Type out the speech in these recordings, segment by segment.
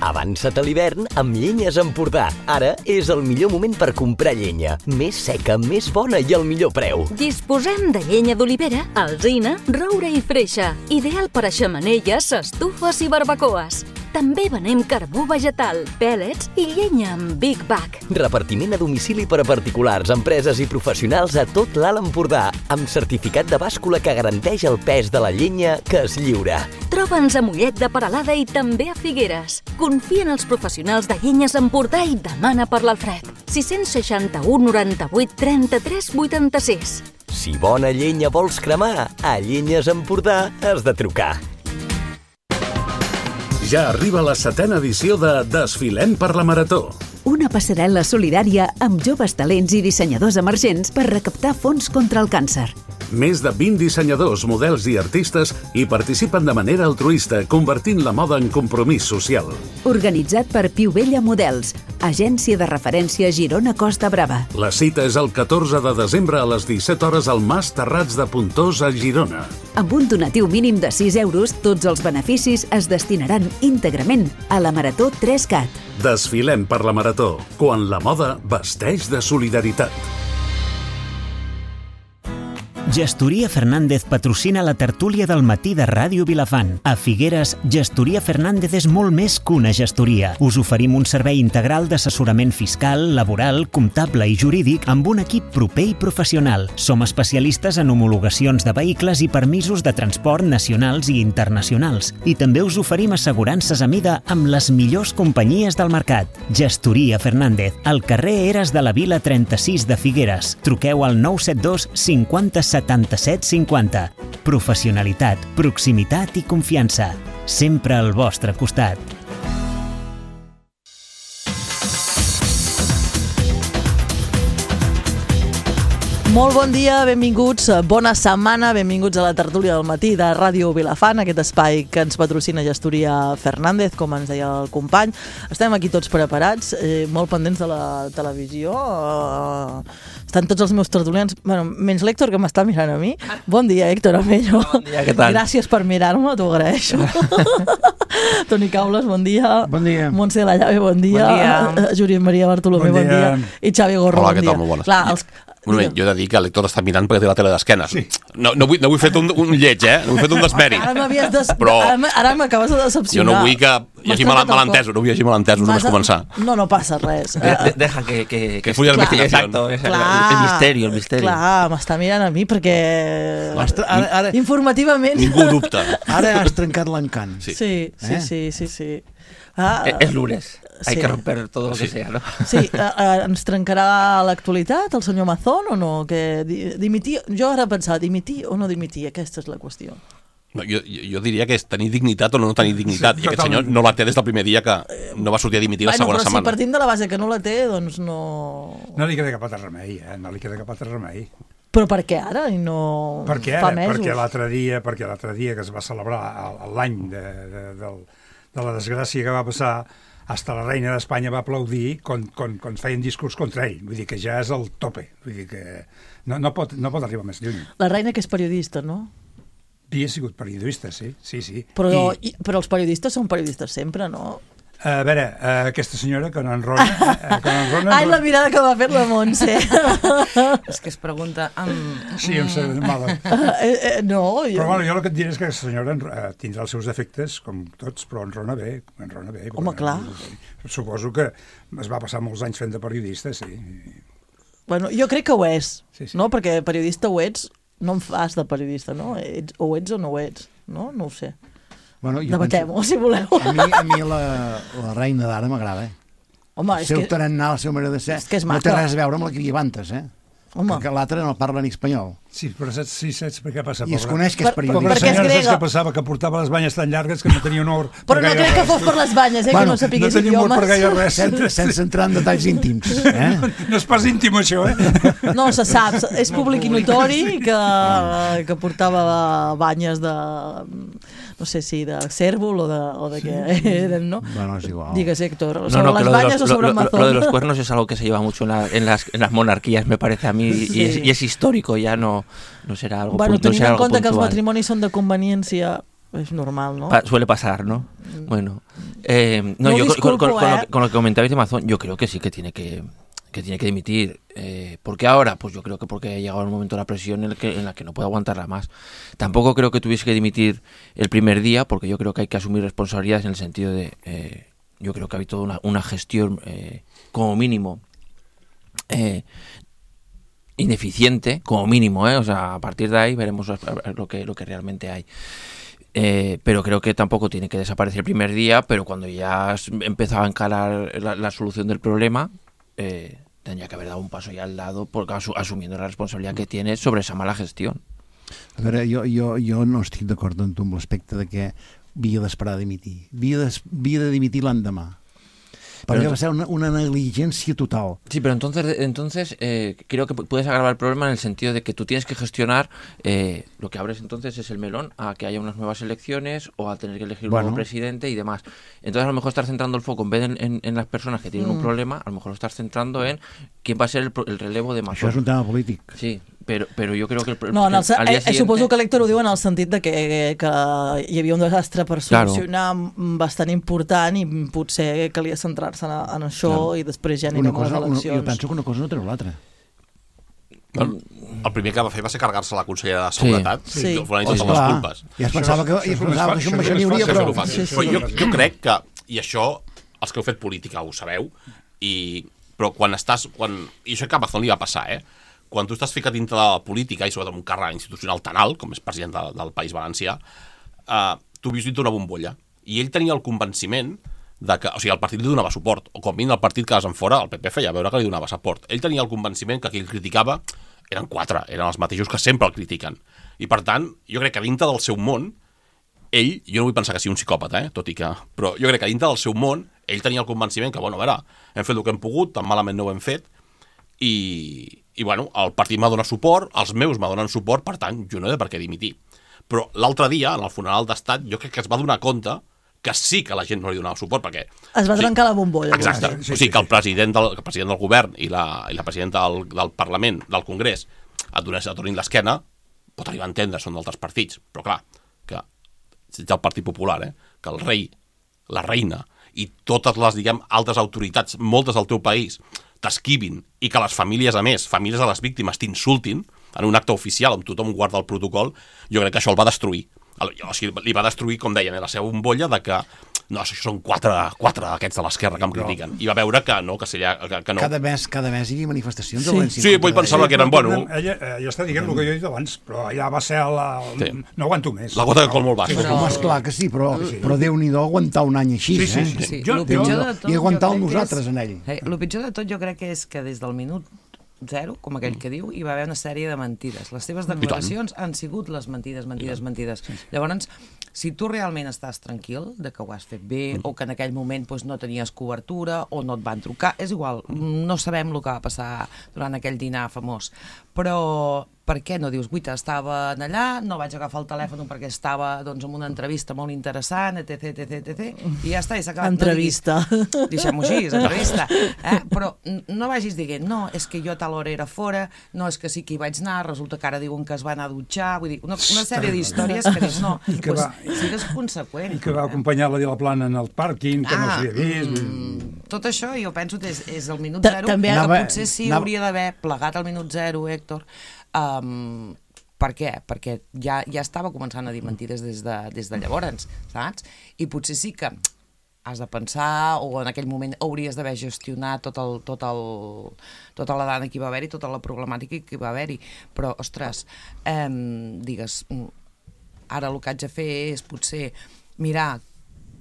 Avança't a l'hivern amb Llenyes Empordà. Ara és el millor moment per comprar llenya. Més seca, més bona i al millor preu. Disposem de llenya d'olivera, alzina, roure i freixa. Ideal per a xemeneies, estufes i barbacoes. També venem carbó vegetal, pèl·lets i llenya amb Big Bag. Repartiment a domicili per a particulars, empreses i professionals a tot l'Alt Empordà, amb certificat de bàscula que garanteix el pes de la llenya que es lliura. Troba'ns a Mollet de Peralada i també a Figueres. Confia en els professionals de Llenyes Empordà i demana per l'Alfred. 661 98 33 86. Si bona llenya vols cremar, a Llenyes Empordà has de trucar. Ja arriba la 7ª edició de Desfilem per la Marató. Una passarel·la solidària amb joves talents i dissenyadors emergents per recaptar fons contra el càncer. Més de 20 dissenyadors, models i artistes hi participen de manera altruista, convertint la moda en compromís social. Organitzat per Piu Vella Models, agència de referència Girona Costa Brava. La cita és el 14 de desembre a les 17 hores al Mas Terrats de Pontós a Girona. Amb un donatiu mínim de 6 euros, tots els beneficis es destinaran íntegrament a la Marató 3CAT. Desfilem per la Marató, quan la moda vesteix de solidaritat. Gestoria Fernández patrocina la tertúlia del matí de Ràdio Vilafant. A Figueres, Gestoria Fernández és molt més que una gestoria. Us oferim un servei integral d'assessorament fiscal, laboral, comptable i jurídic amb un equip proper i professional. Som especialistes en homologacions de vehicles i permisos de transport nacionals i internacionals. I també us oferim assegurances a mida amb les millors companyies del mercat. Gestoria Fernández, al carrer Eres de la Vila 36 de Figueres. Truqueu al 972 50 77 50. Professionalitat, proximitat i confiança. Sempre al vostre costat. Molt bon dia, benvinguts, bona setmana, benvinguts a la tertúlia del matí de Ràdio Vilafant, aquest espai que ens patrocina Gestoria Fernández, com ens deia el company. Estem aquí tots preparats, molt pendents de la televisió. Estan tots els meus tertulians, bueno, menys l'Héctor, que m'està mirant a mi. Bon dia, Héctor Amello. Bon dia, què tal? Gràcies per mirar-me, t'ho agraeixo. Toni Caules, bon dia. Bon dia. Montse Lallave, bon dia. Bon dia. Júlia Maria Bartolomé, bon dia. I Xavi Gorro, Hola, bon dia. què tal? Molt bones. Clar, Un moment, jo he de dir que l'Héctor està mirant perquè té la tele d'esquenes. Sí. No vull fer un lleig, no vull fer un desmèrit. Ara m'acabes de decepcionar. Jo no vull que hi hagi malentesos, no vull que hi hagi malentesos només començar. No passa res. Deja que fluya la investigación. Exacto, el misterio. Clar, m'està mirant a mi perquè Ara, informativament... Ningú dubta. ara has trencat l'encant. Sí. Es lunes. Hay Sí. que romper todo lo que sea, ¿no? Sí, ens trencarà l'actualitat el senyor Mazón o no? Que dimitir, jo ara pensava, dimitir o no dimitir, aquesta és la qüestió. No, jo diria que és tenir dignitat o no tenir dignitat. I aquest senyor no la té des del primer dia que no va sortir a dimitir la segona setmana. Però si partim de la base que no la té, doncs no... No li queda cap altre remei, no li queda cap altre remei. Però per què ara i no Perquè fa ara, mesos? perquè l'altre dia que es va celebrar l'any de la desgràcia que va passar, hasta la reina d'Espanya va aplaudir quan feien discurs contra ell. Vull dir que ja és el tope. Vull dir que no pot arribar més lluny. La reina que és periodista, no? Havia sigut periodista, sí. Però els periodistes són periodistes sempre, no? A veure, aquesta senyora que no enrona... Ai, la mirada que m'ha fet la Montse. És que es pregunta... Sí, em sembla mala. No, jo... Però bueno, jo el que et diré és que aquesta senyora tindrà els seus defectes, com tots, però enrona bé. Home, clar. Suposo que es va passar molts anys fent de periodista, sí. Bueno, jo crec que ho és, Sí. no? Perquè periodista ho ets, no en fas de periodista, no? O ets o no ho ets, no? No ho sé. Bueno, Debatem-ho, si voleu. A mi la reina d'ara m'agrada, Home, és que... tarannà, la seva manera de ser, és que és no té maca. res a veure amb la que hi havia antes, Home. Perquè l'altre no parla ni espanyol. Sí, però saps per què passa? I es coneix que és periodista. Pobra Perquè és senyora, saps grega. què passava? Que portava les banyes tan llargues que no tenia honor. Però no crec que fos per les banyes, que no sapigués no tenia idiomes. honor per gaire res. Sense entrar en detalls íntims. No és pas íntim, això, No, se sap, és públic i notori que portava banyes de... no sé si de cèrvol o de què eren, ¿no? Bueno, es igual. Digues, Héctor, No, sobre no, que las bañas o sobre el mazón. lo de los cuernos es algo que se lleva mucho en las monarquías, me parece a mí, Sí. y es histórico, ya no será algo, Bueno, no tenint será en algo compte que els puntual. matrimonis són de conveniència, és normal, no? Suele pasar, ¿no? Bueno. No, yo con lo que comentabais de Amazon, yo creo que sí que tiene que dimitir. ¿Por qué ahora? Pues yo creo que porque ha llegado el momento de la presión en la que no puede aguantarla más. Tampoco creo que tuviese que dimitir el primer día, porque yo creo que hay que asumir responsabilidades en el sentido de... yo creo que ha habido una gestión como mínimo ineficiente, como mínimo, o sea, a partir de ahí veremos lo que realmente hay. Pero creo que tampoco tiene que desaparecer el primer día, pero cuando ya empezaba a encarar la solución del problema, tendría que haber dado un paso ya al lado, porque asumiendo la responsabilidad que tiene sobre esa mala gestión. A veure, jo no estic d'acord amb tu amb l'aspecte de que havia d'esperar a dimitir. Havia de dimitir l'endemà. Porque va a ser una negligencia total. Sí, pero entonces creo que puedes agravar el problema en el sentido de que tú tienes que gestionar, lo que abres entonces es el melón a que haya unas nuevas elecciones o a tener que elegir un nuevo presidente y demás. Entonces a lo mejor estás centrando el foco, en vez de en las personas que tienen un problema, a lo mejor lo estás centrando en quién va a ser el relevo de Mazón. Això és un tema polític. Sí, però jo crec que... Suposo que l'Héctor ho diu en el sentit de que hi havia un desastre per solucionar bastant important i potser calia centrar-se en això i després ja anirem a les eleccions. Jo penso que una cosa no treu l'altra. El primer que va fer va ser carregar-se la consellera de Seguretat, donant totes les culpes. Ja es pensava que això n'hi hauria, però... Jo crec que, i això, els que heu fet política ho sabeu, però quan estàs... I això que a Amazon li va passar, quan tu estàs ficat dintre de la política i sobretot un càrrec institucional tan alt, com és president del País Valencià, tu vius dintre una bombolla. I ell tenia el convenciment de que, o sigui, el partit li donava suport, o com mínim el partit que en fora, el PP feia veure que li donava suport. Ell tenia el convenciment que qui el criticava eren quatre, eren els mateixos que sempre el critiquen. I per tant, jo crec que dintre del seu món, ell, jo no vull pensar que sigui un psicòpata, tot i que... Però jo crec que dintre del seu món, ell tenia el convenciment que, bueno, a veure, hem fet el que hem pogut, tan malament no ho hem fet, i bueno, el partit m'ha donat suport, els meus m'ha suport, per tant, jo no he de per què dimitir. Però l'altre dia, en el funeral d'estat, jo crec que es va donar compte que sí que la gent no li donava suport, perquè... Es va trencar la bombolla. Exacte. O sigui, que el president del govern i la presidenta del Parlament, del Congrés, et donin l'esquena, pot arribar a entendre, són d'altres partits. Però clar, que ets del Partit Popular, que el rei, la reina i totes les, diguem, altres autoritats, moltes del teu país, t'esquivin i que les famílies, a més, famílies de les víctimes t'insultin en un acte oficial on tothom guarda el protocol, jo crec que això el va destruir. O sigui, li va destruir, com deien, la seva bombolla de que no, això són quatre d'aquests de l'esquerra que em critiquen. I va veure que no, que no. Cada mes hi havia manifestacions. Sí, vull pensar que eren, bueno... Ella està dient el que jo he dit abans, però allà va ser no aguanto més. La gota de col molt baixa. Esclar que sí, però Déu-n'hi-do aguantar un any així, Sí. I aguantar-lo nosaltres en ell. El pitjor de tot jo crec que és que des del minut zero, com aquell que diu, hi va haver una sèrie de mentides. Les seves declaracions han sigut les mentides. Llavors, si tu realment estàs tranquil de que ho has fet bé o que en aquell moment no tenies cobertura o no et van trucar, és igual, no sabem el que va passar durant aquell dinar famós, però per què no dius, guita, estava allà, no vaig agafar el telèfon perquè estava en una entrevista molt interessant, etc, i ja està, i s'ha acabat. Entrevista. Deixem-ho així, és entrevista. Però no vagis dient, no, és que jo a tal hora era fora, no, és que sí que hi vaig anar, resulta que ara diuen que es va anar a dutxar, vull dir, una sèrie d'històries que dius, no, sigues conseqüent. I que va acompanyar-la de la plana en el pàrquing, que no s'havia vist... Tot això, jo penso que és el minut zero, que potser sí hauria d'haver plegat al minut zero, Héctor. Per què? Perquè ja estava començant a dir mentides des de llavors, saps? I potser sí que has de pensar, o en aquell moment hauries d'haver gestionat tota la dana que hi va haver-hi, tota la problemàtica que hi va haver-hi. Però, ostres, digues, ara el que haig de fer és potser mirar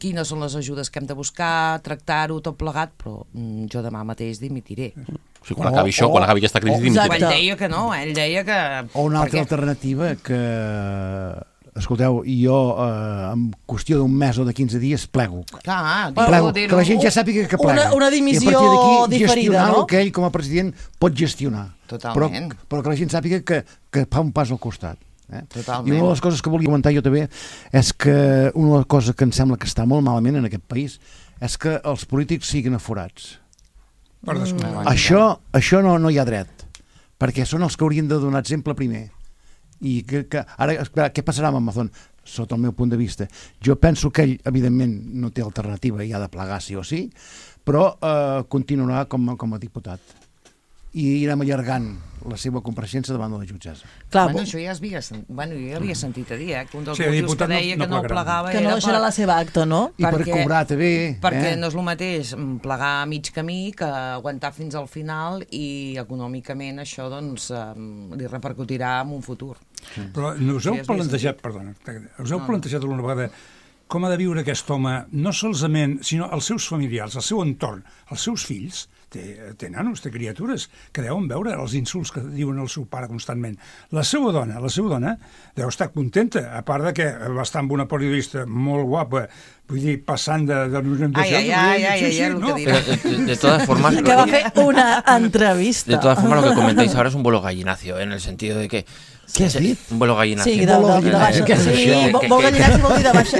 quines són les ajudes que hem de buscar, tractar-ho tot plegat, però jo demà mateix dimitiré. O sigui, quan acabi això, quan acabi aquesta crisi, dimitiré. Ell deia que no, ell deia que... O una altra alternativa que... Escolteu, jo en qüestió d'un mes o de 15 dies plego. Plego, que la gent ja sàpiga que plega. Una dimissió diferida, no? I a partir d'aquí gestionar el que ell com a president pot gestionar. Totalment. Però que la gent sàpiga que fa un pas al costat. Totalment. I una de les coses que volia comentar jo també és que una de les coses que em sembla que està molt malament en aquest país és que els polítics siguin aforats. Això no hi ha dret, perquè són els que haurien de donar exemple primer. I ara, què passarà amb Amazon? sota el meu punt de vista. Jo penso que ell, evidentment, no té alternativa i ha de plegar sí o sí, però continuarà com a diputat i irem allargant la seva compareixença davant de la jutgessa. Això ja jo havia sentit a dir, que un dels motius que deia que no plegava que no deixarà la seva acta, no? I per cobrar també. Perquè no és el mateix plegar a mig camí que aguantar fins al final i econòmicament això doncs li repercutirà en un futur. Però us heu plantejat, alguna vegada com ha de viure aquest home, no solament, sinó els seus familiars, el seu entorn, els seus fills, té nanos, té criatures, que deuen veure els insults que diuen el seu pare constantment. La seva dona deu estar contenta, a part de que va estar amb una periodista molt guapa, vull dir, passant de de todas formas... Que va fer una entrevista. De todas formas, lo que comentáis ahora es un vuelo gallinacio, en el sentido de que... Què has dit? Un vuelo gallinacio. Sí, vol gallinacio vol dir de baixa...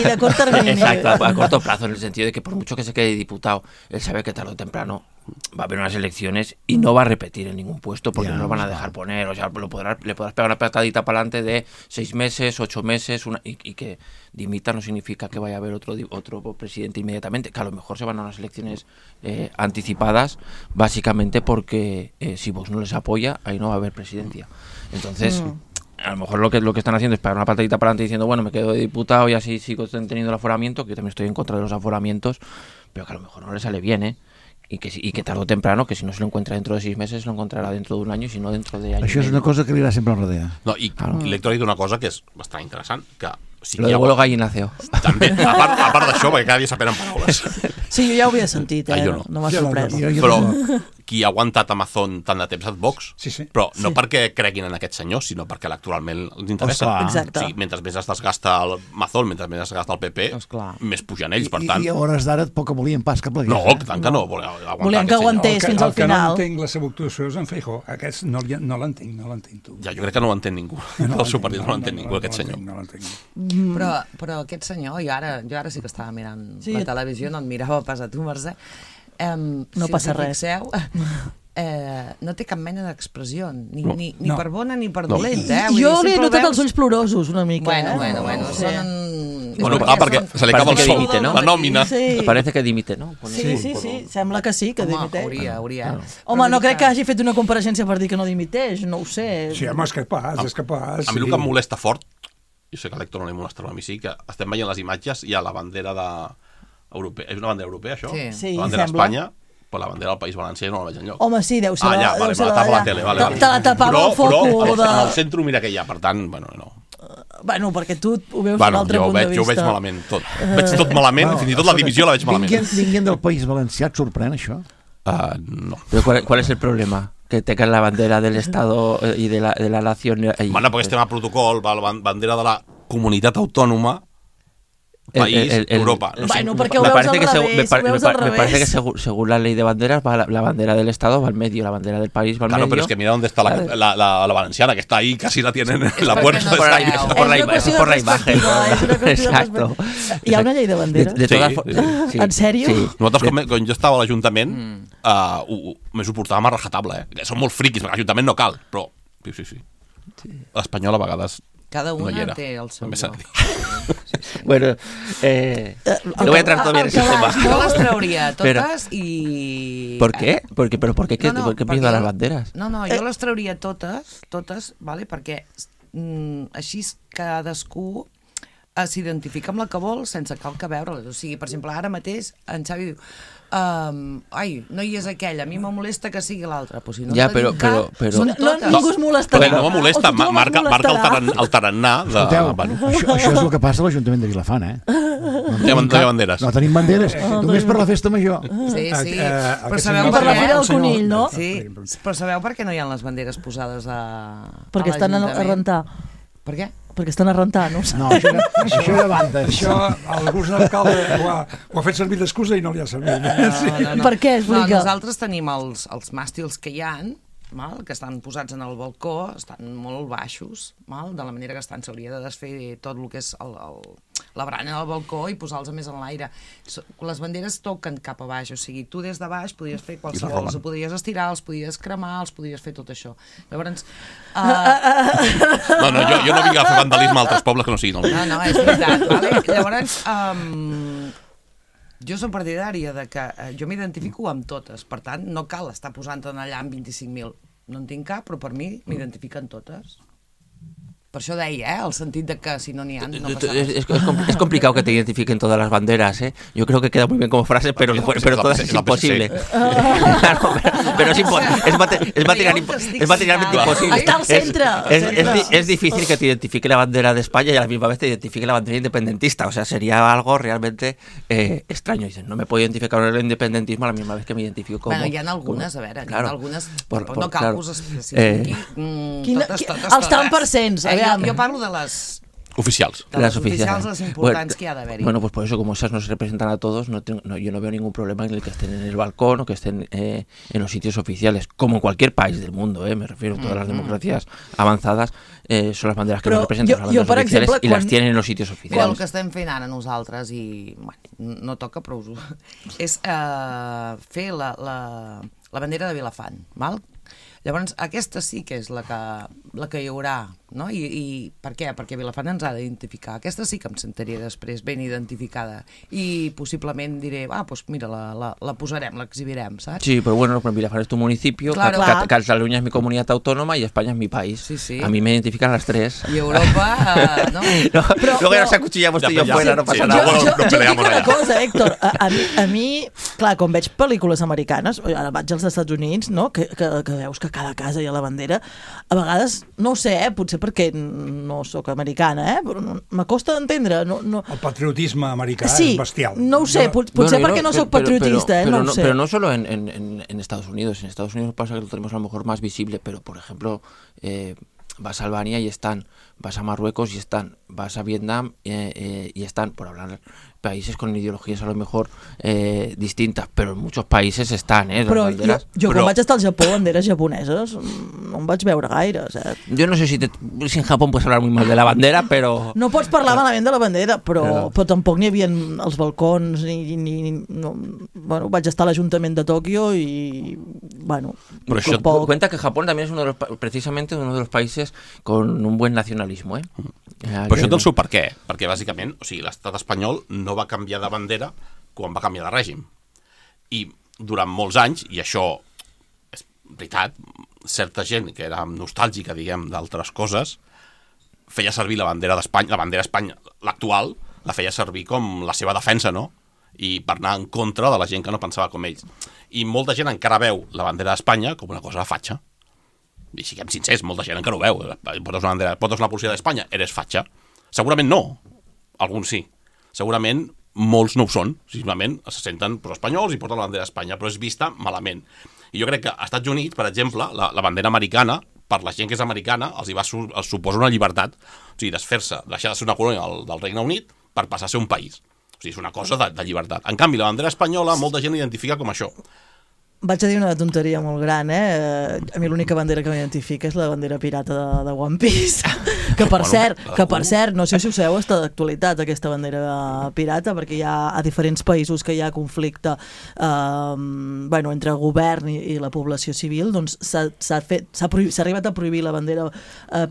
De curt termini. Exacto, a corto plazo, en el sentido de que por mucho que se quede diputado, él sabe que tarde o temprano va a haber unas elecciones y no va a repetir en ningún puesto porque no lo van a dejar poner. O sea, le podrás pegar una patadita para adelante de 6 meses, 8 meses, y que dimita no significa que vaya a haber otro presidente inmediatamente, que a lo mejor se van a unas elecciones anticipadas, básicamente porque si Vox no les apoya, ahí no va a haber presidencia. Entonces... A lo mejor lo que están haciendo es pegar una patadita para adelante diciendo, bueno, me quedo de diputado y así sigo teniendo el aforamiento, que yo también estoy en contra de los aforamientos, pero que a lo mejor no le sale bien, y que tarde o temprano, que si no se lo encuentra dentro de 6 meses, lo encontrarà dentro d'un any, i si no dentro de año. Això és una cosa que li agrada sempre al rodea. No, i l'Héctor ha dit una cosa que és bastant interessant, que... Lo de vuelo gallinaceo. També, a part d'això, perquè cada dia s'apenen paraules. Sí, jo ja ho havia sentit, no m'ha sorprès. Però qui ha aguantat Amazon tant de temps és Vox, però no perquè creguin en aquest senyor, sinó perquè electoralment els interessa. Exacte. Mentre més es desgasta el Amazon, mentre més es desgasta el PP, més pugen ells, per tant... I a hores d'ara poc que volien pas que plegués. No, tant que no. Volien que aguantés fins al final. El que no entenc la seva actuació és en Feijóo. Aquest no l'entenc, tu. Ja, jo crec que no l'entén ningú. El seu partit no l'entén ningú, aquest senyor. Però aquest senyor, jo ara sí que estava mirant la televisió, no et mirava pas a tu, Mercè. No passa res. No té cap mena d'expressió, ni per bona ni per dolenta. Jo li he notat els ulls plorosos una mica. Bueno, perquè se li acaba el sol, la nòmina. Parece que dimite, no? Sí, sembla que sí, que dimiteix. Hauria. Home, no crec que hagi fet una compareixença per dir que no dimiteix, no ho sé. Sí, home, és capaç. A mi el que em molesta fort, jo sé que a l'Héctor no li molestarà a mi, sí, que estem veient les imatges i hi ha la bandera europea. És una bandera europea, això? Sí, la bandera d'Espanya, però la bandera del País Valencià no la veig enlloc. Home, sí, deu ser la tapa la tele, vale. Te la tapava el foco. Però en el centre mira que hi ha, per tant, bueno, no. Bueno, perquè tu ho veus d'un altre punt de vista. Jo ho veig malament, tot. Veig tot malament, fins i tot la divisió la veig malament. Vinguent del País Valencià, et sorprèn això? No. Pero ¿cuál es el problema? Que tengan la bandera del Estado y de la nación. Bueno, perquè estem a protocol, la bandera de la comunitat autònoma, país, Europa. No sé. Bueno, perquè ho veus al revés. Me parece que según la ley de banderas, la bandera del Estado va al medio, la bandera del país va al medio. Claro, pero es que mira dónde está la valenciana, que está ahí, casi la tienen en la puerta. Es por la imagen. Exacto. Hi ha una llei de banderes? Sí. En sèrio? Sí. Nosaltres, quan jo estava a l'Ajuntament, m'ho suportàvem a rajatabla, Som molt friquis, perquè l'Ajuntament no cal, però sí. L'Espanyol a vegades cada una no té el seu lloc. Bueno, no voy a entrar todavía en ese tema. Yo las trauría todas y... ¿Por qué? ¿Por qué miedo a las banderas? No, jo les trauria totes, vale? Perquè així cadascú s'identifica amb la que vol sense cal que veure-les. O sigui, per exemple, ara mateix en Xavi diu no hi és aquell, a mi me molesta que sigui l'altre. Pues si no ja, però... Ningú es molestarà. No me molesta, marca el tarannà de... Això és el que passa a l'Ajuntament de Vilafant, No hi ha banderes. No tenim banderes, només per la festa major. Sí, però sabeu per la Fira del Conill, no? Sí, però sabeu per què no hi ha les banderes posades a perquè estan a rentar. Per què? Perquè estan a rentar, no ho saps? No, això de bandes. Això, algú d'alcalde ho ha fet servir d'excusa i no li ha servit. No. Per què? Nosaltres tenim els màstils que hi ha, que estan posats en el balcó, estan molt baixos, de la manera que estan. S'hauria de desfer tot el que és la barana del balcó i posar-los més en l'aire. Les banderes toquen cap a baix, o sigui, tu des de baix podries fer qualsevol, els podries estirar, els podries cremar, els podries fer tot això. Llavors... No, jo no vinc a fer vandalisme a altres pobles que no siguin el meu. No, és veritat, vale? Llavors... Jo soc partidària de que jo m'identifico amb totes, per tant, no cal estar posant-en allà amb 25.000. No en tinc cap, però per mi m'identifiquen totes. Per això deia, el sentit de que si no n'hi ha, no passa res. Es complicado que te identifiquen todas las banderas, ¿eh? Yo creo que queda muy bien como frase, pero todas es imposible. Claro, pero es materialmente imposible. Está al centre. Es difícil que te identifique la bandera de España y a la misma vez te identifique la bandera independentista. O sea, sería algo realmente extraño. Dicen, no me puedo identificar con el independentismo a la misma vez que me identifico como... Bueno, hi ha algunes, a veure, claro, algunes, no cal que us especifiqui. Totes. Els tant percents, jo parlo de les... Oficials. De les oficials, les importants que hi ha d'haver-hi. Bueno, pues por eso, como esas no se representan a todos, yo no veo ningún problema en el que estén en el balcón o que estén en los sitios oficiales, como en cualquier país del mundo, me refiero, todas las democracias avanzadas son las banderas que nos representan, las banderas oficiales, exemple, i les tienen en los sitios oficials. El que estem fent ara nosaltres, i bueno, no toca, però és fer la bandera de Vilafant, val? Llavors, aquesta sí que és la que hi haurà, no? I per què? Perquè Vilafant ens ha d'identificar. Aquesta sí que em sentiria després ben identificada. I possiblement diré, doncs mira, la posarem, l'exhibirem, ¿sabes? Sí, pero bueno, Vilafant es tu municipio, claro. Cataluña es mi comunidad autónoma y España es mi país. Sí, sí. A mí me identifican las tres. Y Europa, ¿no? Luego ya nos acuchillamos tú y yo fuera, no pasa nada. Jo dic una cosa, Héctor, a mi, clar, quan veig pel·lícules americanes, ara vaig als Estats Units, no? Que veus que cada casa hi ha la bandera, a vegades, no ho sé, potser perquè no sóc americana, però m'acosta d'entendre. El patriotisme americà és bestial. No ho sé, potser perquè no sóc patriotista, no ho sé. Pero no solo en Estados Unidos. En Estados Unidos pasa que lo tenemos a lo mejor más visible, pero por ejemplo, vas a Albania y están, vas a Marruecos y están, vas a Vietnam y están, por hablar países con ideologías a lo mejor distintas, pero en muchos países están, Però jo quan vaig estar al Japó, banderes japoneses, no em vaig veure gaire, saps? Yo no sé si en Japón puedes hablar muy mal de la bandera, pero... No pots parlar malament de la bandera, però tampoc n'hi havia els balcons, bueno, vaig estar a l'Ajuntament de Tòquio i, bueno... Pero eso cuenta que Japón también es precisamente uno de los países con un buen nacionalismo, Però això té el seu per què? Perquè bàsicament, o sigui, l'estat espanyol no va canviar de bandera quan va canviar de règim. I durant molts anys, i això és veritat, certa gent que era nostàlgica, diguem, d'altres coses, feia servir la bandera d'Espanya, la bandera Espanya, l'actual, la feia servir com la seva defensa, no? I per anar en contra de la gent que no pensava com ells. I molta gent encara veu la bandera d'Espanya com una cosa de fatxa. I siguem sincers, molta gent encara ho veu. Portes una policia d'Espanya, eres fatxa. Segurament no, alguns sí. Segurament molts no ho són, simplement se senten espanyols i porten la bandera d'Espanya, però és vista malament. I jo crec que als Estats Units, per exemple, la bandera americana, per la gent que és americana, els suposa una llibertat, o sigui, desfer-se, deixar de ser una colònia del Regne Unit per passar a ser un país. O sigui, és una cosa de llibertat. En canvi, la bandera espanyola, molta gent l'identifica com això. Vaig a dir una tonteria molt gran, A mi l'única bandera que m'identifica és la bandera pirata de One Piece. Que per cert, no sé si ho sabeu, està d'actualitat aquesta bandera pirata, perquè hi ha a diferents països que hi ha conflicte entre govern i la població civil, doncs s'ha arribat a prohibir la bandera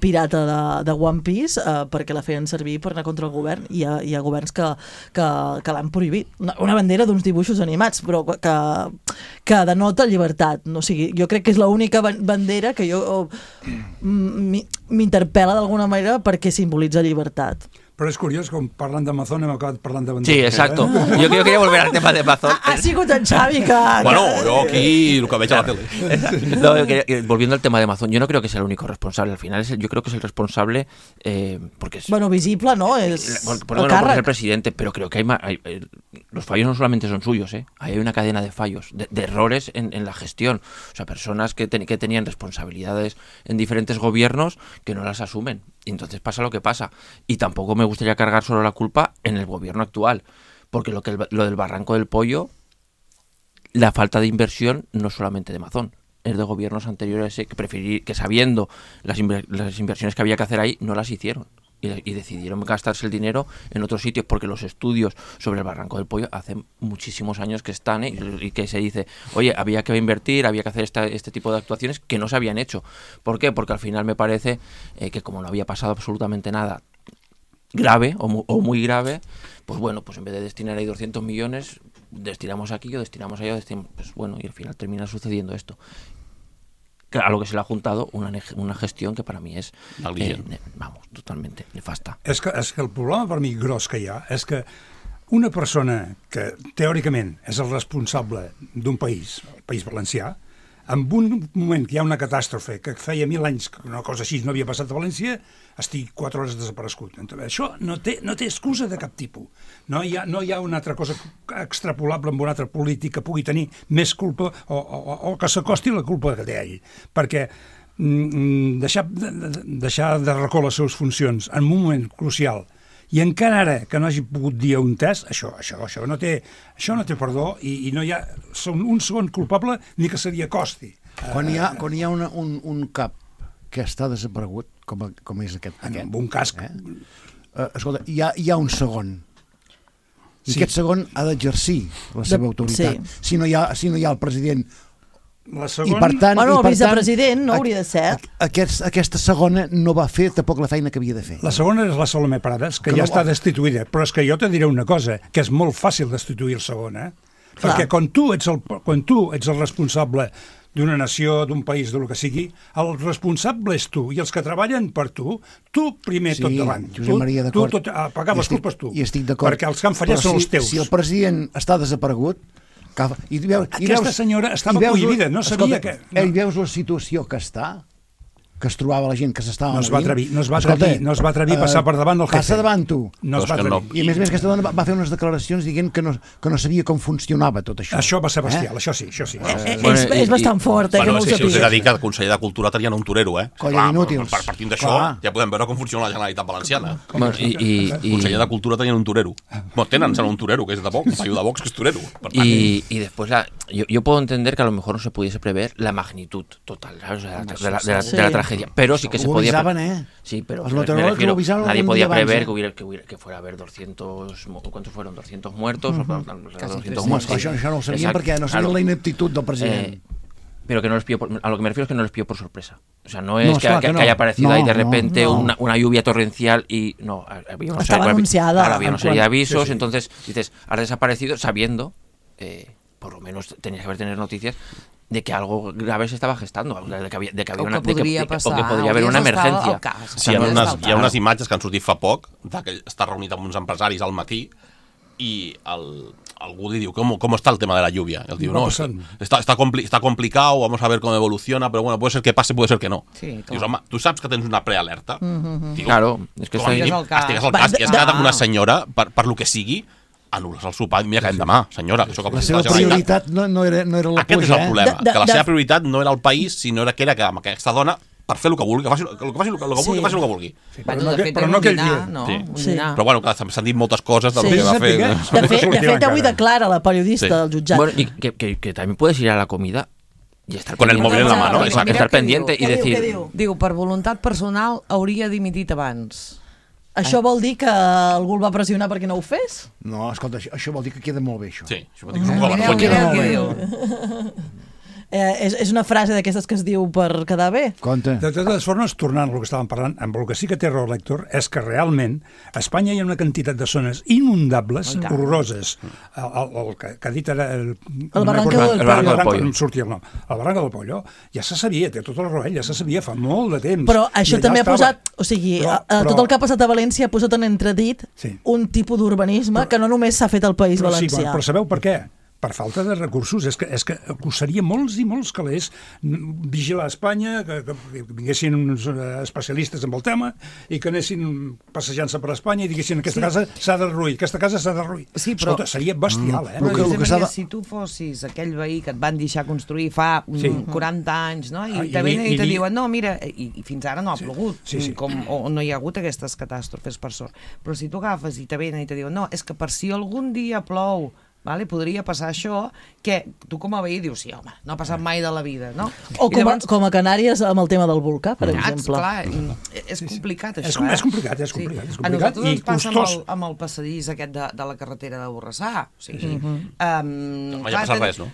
pirata de One Piece perquè la feien servir per anar contra el govern, i hi ha governs que l'han prohibit. Una bandera d'uns dibuixos animats, però que denota llibertat. O sigui, jo crec que és l'única bandera que jo m'interpel·la d'alguna manera perquè simbolitza llibertat. Però és curiós, com parlant d'Amazon hem acabat parlant de bandera. Sí, exacto. Yo quería volver al tema de Amazon. Ha sigut en Xavi que... Bueno, yo aquí lo que veig a la tele. No, volviendo al tema de Amazon, yo no creo que sea el único responsable. Al final yo creo que es el responsable porque es... Bueno, visible, ¿no? Es porque es el presidente, pero creo que los fallos no solamente son suyos, hay una cadena de fallos, de errores en la gestión. O sea, personas que tenían responsabilidades en diferentes gobiernos que no las asumen. Y entonces pasa lo que pasa. Y tampoco me gustaría cargar solo la culpa en el gobierno actual, porque lo del barranco del pollo, la falta de inversión no solamente de Amazon, es de gobiernos anteriores que sabiendo las inversiones que había que hacer ahí, no las hicieron. Y decidieron gastarse el dinero en otros sitios, porque los estudios sobre el Barranco del Pollo hace muchísimos años que están, y que se dice, oye, había que invertir, había que hacer este tipo de actuaciones que no se habían hecho. ¿Por qué? Porque al final me parece que como no había pasado absolutamente nada grave o muy grave, pues bueno, pues en vez de destinar ahí 200 millones, destinamos aquí o destinamos allá, pues bueno, y al final termina sucediendo esto. A lo que se le ha juntado una gestión que para mí és totalmente nefasta. És que el problema per mi gros que hi ha és que una persona que teòricament és el responsable d'un país, el País Valencià, en un moment que hi ha una catàstrofe que feia 1000 anys que una cosa així no havia passat a València, estigui 4 hores desaparegut. Això no té excusa de cap tipus. No hi ha una altra cosa extrapolable amb un altre polític que pugui tenir més culpa o que s'acosti la culpa que té ell. Perquè deixar de racó les seves funcions en un moment crucial i encara ara que no hagi pogut dir un test, això no té perdó, i no hi ha un segon culpable ni que se li acosti. Quan hi ha un cap que està desaparegut, com és aquest. Amb un casc. Escolta, hi ha un segon. I aquest segon ha d'exercir la seva autoritat. Si no hi ha el president... I per tant, el vicepresident no hauria de ser. Aquesta segona no va fer tampoc la feina que havia de fer. La segona és la Salomé Prades, que ja està destituïda. Però és que jo te diré una cosa, que és molt fàcil destituir el segon, perquè quan tu ets el responsable d'una nació, d'un país, del que sigui, el responsable és tu, i els que treballen per tu primer tot davant. Josep Maria, d'acord. Tu pagar les culpes tu. I estic d'acord. Perquè els que han fallat són els teus. Si el president està desaparegut, aquesta senyora estava cohibida, no sabia que... Veus la situació que està, que es trobava la gent que s'estava movint. No es va atrevir a passar per davant del jefe. Passa davant tu. No es va atrevir. I a més aquesta dona va fer unes declaracions dient que no sabia com funcionava tot això. Això va ser bestial, això sí. És bastant fort, que no ho sapia. Us he de dir que el conseller de Cultura tenien un torero, Colla d'inútils. Partint d'això, ja podem veure com funciona la Generalitat Valenciana. El conseller de Cultura tenien un torero. Tenen un torero, que és de Vox, de Vox, que és torero. Y después yo puedo entender que a lo mejor no se pudiese prever la magnitud total de la tragedia. Pero sí que se podía... Sí, pero nadie podía prever que fuera a haber 200... ¿Cuántos fueron? ¿200 muertos? 200 muertos. Això no ho sabíem perquè no sabien la ineptitud del president. Pero que no les pilló a lo que me refiero es que no les pilló por sorpresa. O sea, no es que haya aparecido ahí de repente una lluvia torrencial y... No, había una serie de avisos, entonces dices, has desaparecido sabiendo, por lo menos tenías que tener noticias de que algo grave se estava gestando, de que podria haver una emergència. Sí, hi ha unes imatges que han sortit fa poc, que està reunit amb uns empresaris al matí y algú li diu, ¿cómo está el tema de la lluvia? Y él diu, no, está complicado, vamos a ver cómo evoluciona, pero bueno, puede ser que pase, puede ser que no. Sí, dius, home, tu saps que tens una prealerta? Claro, és que estigues al cas, i has quedat amb una senyora, per lo que sigui, anul·les el sopar, mira que hem demà, senyora. La seva prioritat no era la pluja. Aquest és el problema, que la seva prioritat no era el país, sinó que era que amb aquesta dona, per fer el que vulgui, que faci el que vulgui. Però no aquell dia. Però bueno, s'han dit moltes coses del que va fer. De fet, avui declara la periodista del jutjat. Bueno, y que también puedes ir a la comida y estar con el móvil en la mano, estar pendiente y decir... Diu, per voluntat personal hauria dimitit abans. Això vol dir que algú el va pressionar perquè no ho fes? No, escolta, això vol dir que queda molt bé, això. Sí, això vol dir que queda molt bé. És una frase d'aquestes que es diu per quedar bé. Compte. De totes formes, tornant al que estàvem parlant, amb el que sí que té raó l'Héctor és que realment a Espanya hi ha una quantitat de zones inundables, horroroses. El que ha dit ara... El Barranco del Pollo. No em sortia el nom. El Barranco del Pollo ja se sabia, té tot el roell, ja se sabia fa molt de temps. Però això també ha posat... O sigui, tot el que ha passat a València ha posat en entredit un tipus d'urbanisme que no només s'ha fet al País Valencià. Però sabeu per què? Per falta de recursos. És que costaria molts i molts calés vigilar Espanya, que vinguessin uns especialistes en el tema i que anessin passejant-se per Espanya i diguessin aquesta casa s'ha de derruir, aquesta casa s'ha de derruir. Escolta, seria bestial, Però si tu fossis aquell veí que et van deixar construir fa 40 anys, no? I te venen i te diuen, no, mira, i fins ara no ha plogut, o no hi ha hagut aquestes catàstrofes, per sort. Però si tu agafes i te venen i te diuen, no, és que per si algun dia plou Vale? Podria passar això, que tu com a veí dius, sí, home, no ha passat mai de la vida, no? O com a Canàries amb el tema del volcà, per exemple. Clar, és complicat, això. És complicat. A nosaltres ens passa amb el passadís aquest de la carretera de Borrassà. O sigui, mai ha passat res, no?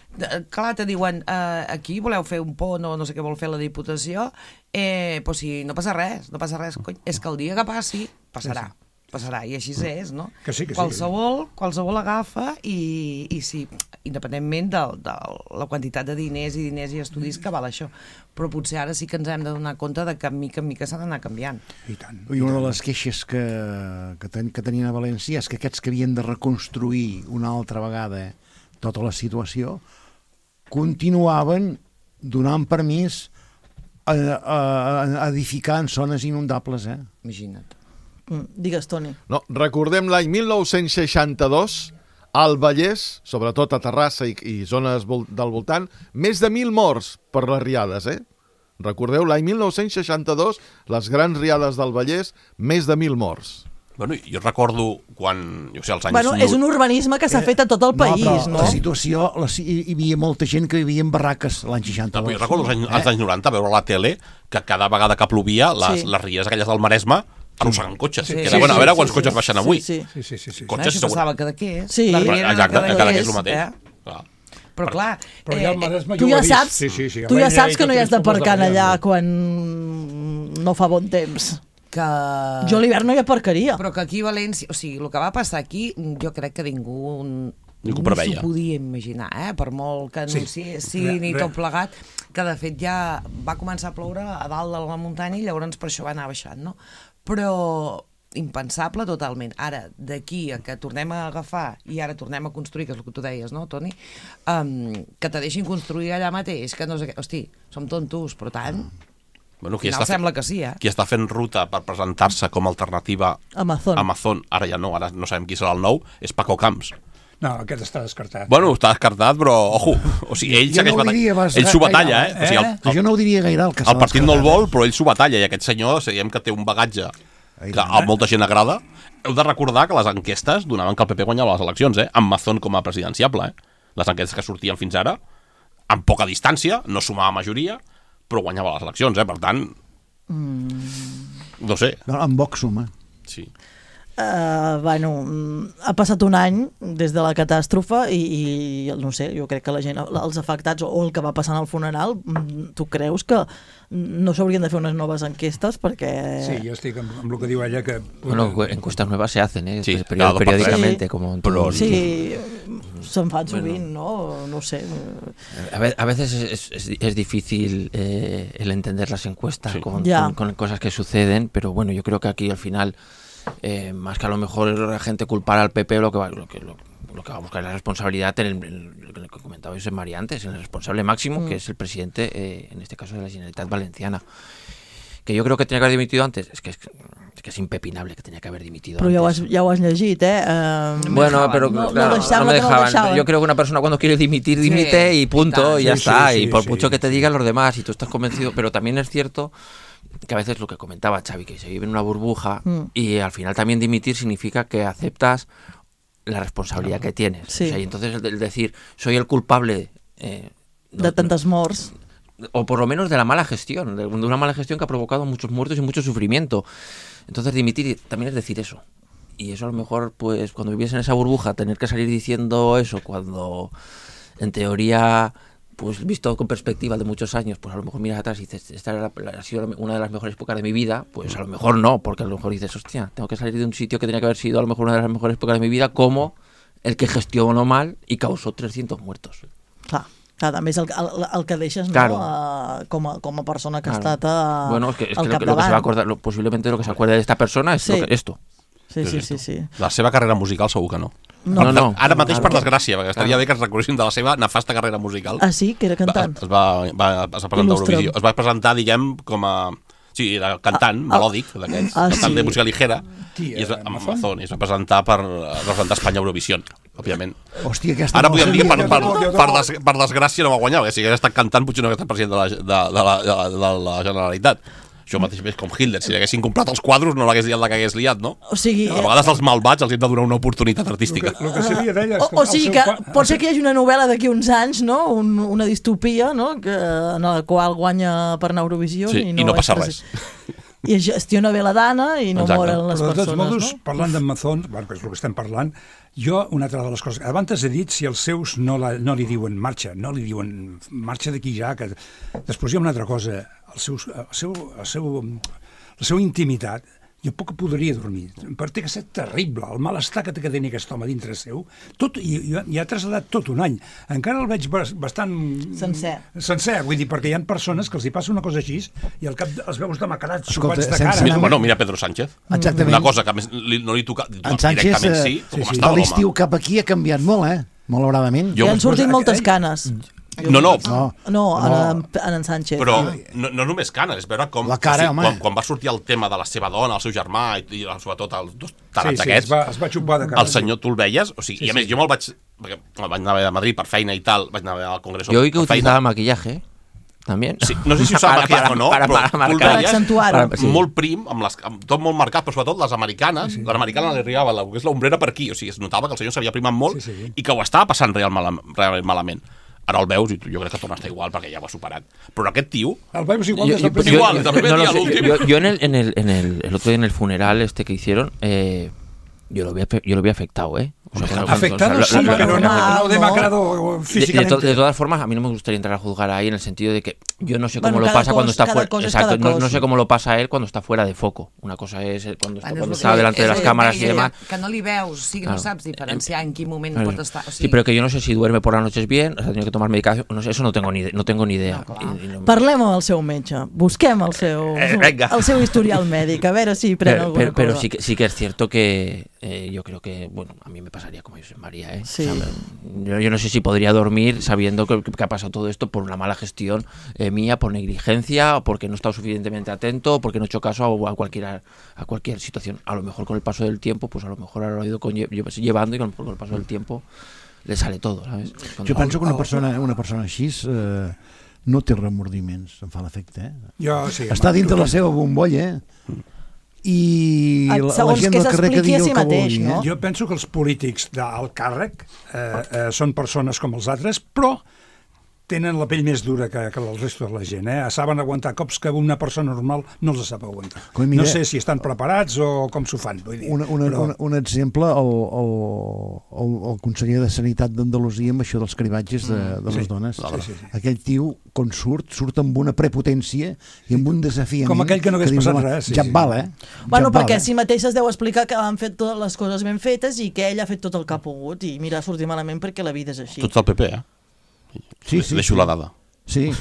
Clar, te diuen, aquí voleu fer un pont o no sé què vol fer la Diputació, doncs si no passa res, cony, és que el dia que passi, passarà, i així és, no? Que sí. Qualsevol agafa i sí, independentment de la quantitat de diners i estudis que val això. Però potser ara sí que ens hem de donar compte de que mica en mica s'ha d'anar canviant. I tant. I una de les queixes que tenien a València és que aquests que havien de reconstruir una altra vegada tota la situació continuaven donant permís a edificar en zones inundables, Imagina't. Digues, Toni. No, recordem l'any 1962, al Vallès, sobretot a Terrassa i zones del voltant, més de 1.000 morts per les riades, Recordeu, l'any 1962, les grans riades del Vallès, més de 1.000 morts. Bueno, jo recordo quan, als anys... Bueno, és un urbanisme que s'ha fet a tot el país, no? La situació, hi havia molta gent que vivia en barraques l'any 62. Jo recordo als anys 90 veure a la tele que cada vegada que plovia, les ries aquelles del Maresme arrossegant cotxes. A veure quants cotxes baixen avui. Sí. Cotxes, això passava cada què? Sí. Exacte, cada què és el mateix. Però clar, tu ja saps que no hi has d'aparcar allà quan no fa bon temps. Jo a l'hivern no hi aparcaria. Però que aquí a València, o sigui, el que va passar aquí, jo crec que ningú s'ho podia imaginar, per molt que anunciessin i tot plegat, que de fet ja va començar a ploure a dalt de la muntanya i llavors per això va anar baixant, no? Però impensable totalment. Ara, d'aquí a que tornem a agafar i ara tornem a construir, que és el que tu deies, no, Toni? Que te deixin construir allà mateix, que no sé què... Hosti, som tontos, però tant... Bueno, sembla que sí, Qui està fent ruta per presentar-se com a alternativa Amazon, ara ja no, ara no sabem qui serà el nou, és Paco Camps. No, aquest està descartat. Bueno, està descartat, però, ojo, o sigui, ell s'ho batalla, O sigui, jo no ho diria gaire, el partit no el vol, però ell s'ho batalla, i aquest senyor, diguem que té un bagatge que a molta gent agrada. Heu de recordar que les enquestes donaven que el PP guanyava les eleccions, amb Mazón com a presidenciable, Les enquestes que sortien fins ara, amb poca distància, no sumava majoria, però guanyava les eleccions, per tant... No sé. En Vox suma. Sí. Bueno, ha passat un any des de la catàstrofe i no sé, jo crec que la gent, els afectats o el que va passar al funeral, tu creus que no s'haurien de fer unes noves enquestes perquè... Sí, jo estic amb el que diu ella que... Bueno, encuestas nuevas se hacen, periódicamente. Sí, se'n fan sovint, no sé. A veces es difícil el entender las encuestas con cosas que suceden, pero bueno, yo creo que aquí al final... más que a lo mejor la gente culpar al PP, lo que va a buscar es la responsabilidad en lo que comentabais en María antes, en el responsable máximo, que es el presidente, en este caso de la Generalitat Valenciana, que yo creo que tenía que haber dimitido antes. Es que es impepinable que tenía que haber dimitido antes. Però ja ho has llegit, Bueno, pero no me dejaban. Yo creo que una persona cuando quiere dimite y punto, y ya está, y por mucho que te digan los demás, y tú estás convencido, pero también es cierto que a veces lo que comentaba Xavi, que se vive en una burbuja y al final también dimitir significa que aceptas la responsabilidad que tienes. O sea, y entonces el decir, soy el culpable de tantas morts, o por lo menos de la mala gestión, de una mala gestión que ha provocado muchos muertos y mucho sufrimiento. Entonces dimitir también es decir eso. Y eso a lo mejor, pues cuando vives en esa burbuja, tener que salir diciendo eso cuando en teoría... pues visto con perspectiva de muchos años, pues a lo mejor miras atrás y dices, esta ha sido una de las mejores épocas de mi vida, pues a lo mejor no, porque a lo mejor dices, hostia, tengo que salir de un sitio que tenía que haber sido a lo mejor una de las mejores épocas de mi vida, como el que gestionó mal i causó 300 muertos. Clar, també és el que deixes, claro. Com a persona que ha estat al bueno, es que lo que se va a acordar, posiblemente lo que se acuerde de esta persona es esto. Sí. La seva carrera musical segur que no. No. Ara mateix, per desgràcia, perquè estaria bé que es recordessin de la seva nefasta carrera musical. Ah, sí? Que era cantant? Es va presentar a Eurovisió. Es va presentar, diguem, com a... Sí, era cantant, melòdic, d'aquests, cantant de música ligera, i es va presentar per representar Espanya a Eurovisió, òbviament. Hòstia, ara podríem dir que per desgràcia no va guanyar, perquè si hagués estat cantant potser no hagués estat president de la Generalitat. Això mateix és com Hitler, si haguessin comprat els quadros no l'hagués liat la que hagués liat, no? O sigui... A vegades els malvats els hem de donar una oportunitat artística. El que seria d'ella... O sigui que pot ser que hi hagi una novel·la d'aquí uns anys, no? Una distopia, no? En la qual guanya per anar a Eurovisió i no passa res. I es gestiona bé la dana i no moren les persones, no? Però de tots modos, parlant d'en Mazón, que és el que estem parlant, jo, una altra de les coses... Abans he dit si els seus no li diuen marxa, no li diuen marxa d'aquí ja, que després hi ha una altra cosa, la seva intimitat, jo poc podria dormir, perquè que ser terrible, el malestar que té que tenir aquest home dintre seu, i ha traslladat tot un any, encara el veig bastant... Sencer, vull dir, perquè hi ha persones que els hi passa una cosa així i al cap els veus demacrats, xupats de cara. Bueno, mira Pedro Sánchez, una cosa que no li toca directament sí, com estava l'home. L'estiu cap aquí ha canviat molt, malauradament. I han sortit moltes canes. No, en Sánchez. Però no només canes, és veure com quan va sortir el tema de la seva dona, el seu germà i sobretot els dos tarats aquests, es va xupar de cara. El senyor, tu el veies, o sigui, i a més jo me'l vaig anar a Madrid per feina i tal, vaig anar al Congreso. Jo oí que utilizaba maquillaje, también. Sí, no sé si usava maquillaje o no, però tu el veies molt prim, tot molt marcat, però sobretot les americanes, l'americana li arribava l'ombrera per aquí, o sigui, es notava que el senyor s'havia primat molt i que ho estava passant realment malament. Ara el veus i jo crec que torna a estar igual perquè ja ho ha superat. Però aquest tío... El veus igual des del primer dia a l'últim. Yo el otro día en el funeral que hicieron, yo lo vi afectado, O sea, afectado sí, pero no demacrado físicamente. De todas formas, a mí no me gustaría entrar a juzgar ahí en el sentido de que yo no sé cómo lo pasa cuando está fuera. Exacto, no sé cómo lo pasa él cuando está fuera de foco. Una cosa es cuando está delante de las cámaras y demás. Que no li veus, o sigui, no saps diferenciar en quin moment pot estar. Sí, pero que yo no sé si duerme por las noches bien, ha tenido que tomar medicación, no sé, eso no tengo ni idea. Parlem amb el seu metge, busquem el seu historial mèdic, a veure si pren alguna cosa. Pero sí que es cierto que yo creo que, bueno, a mí me pasaría como José María, Sí. O sea, yo no sé si podría dormir sabiendo que ha pasado todo esto por una mala gestión mía, por negligencia, o porque no he estado suficientemente atento, o porque no he hecho caso a cualquier situación. A lo mejor con el paso del tiempo, pues a lo mejor lo he ido llevando y con el paso del tiempo le sale todo, ¿sabes? Jo penso que una persona així no té remordiments, em fa l'efecte, està dintre la seva bombolla, i la gent del carrer que digui el que vulgui. Jo penso que els polítics d'alt càrrec són persones com els altres, però tenen la pell més dura que el resto de la gent. Saben aguantar cops que una persona normal no els sap aguantar. No sé si estan preparats o com s'ho fan. Un exemple, el conseller de Sanitat d'Andalusia amb això dels cribatges de les dones. Aquell tio, quan surt amb una prepotència i amb un desafiament. Com aquell que no hagués passat res. Ja et val, Bueno, perquè si mateix es deu explicar que han fet totes les coses ben fetes i que ell ha fet tot el que ha pogut i mira, ha sortit malament perquè la vida és així. Tots el PP, Sí. Deixo la dada. Sí.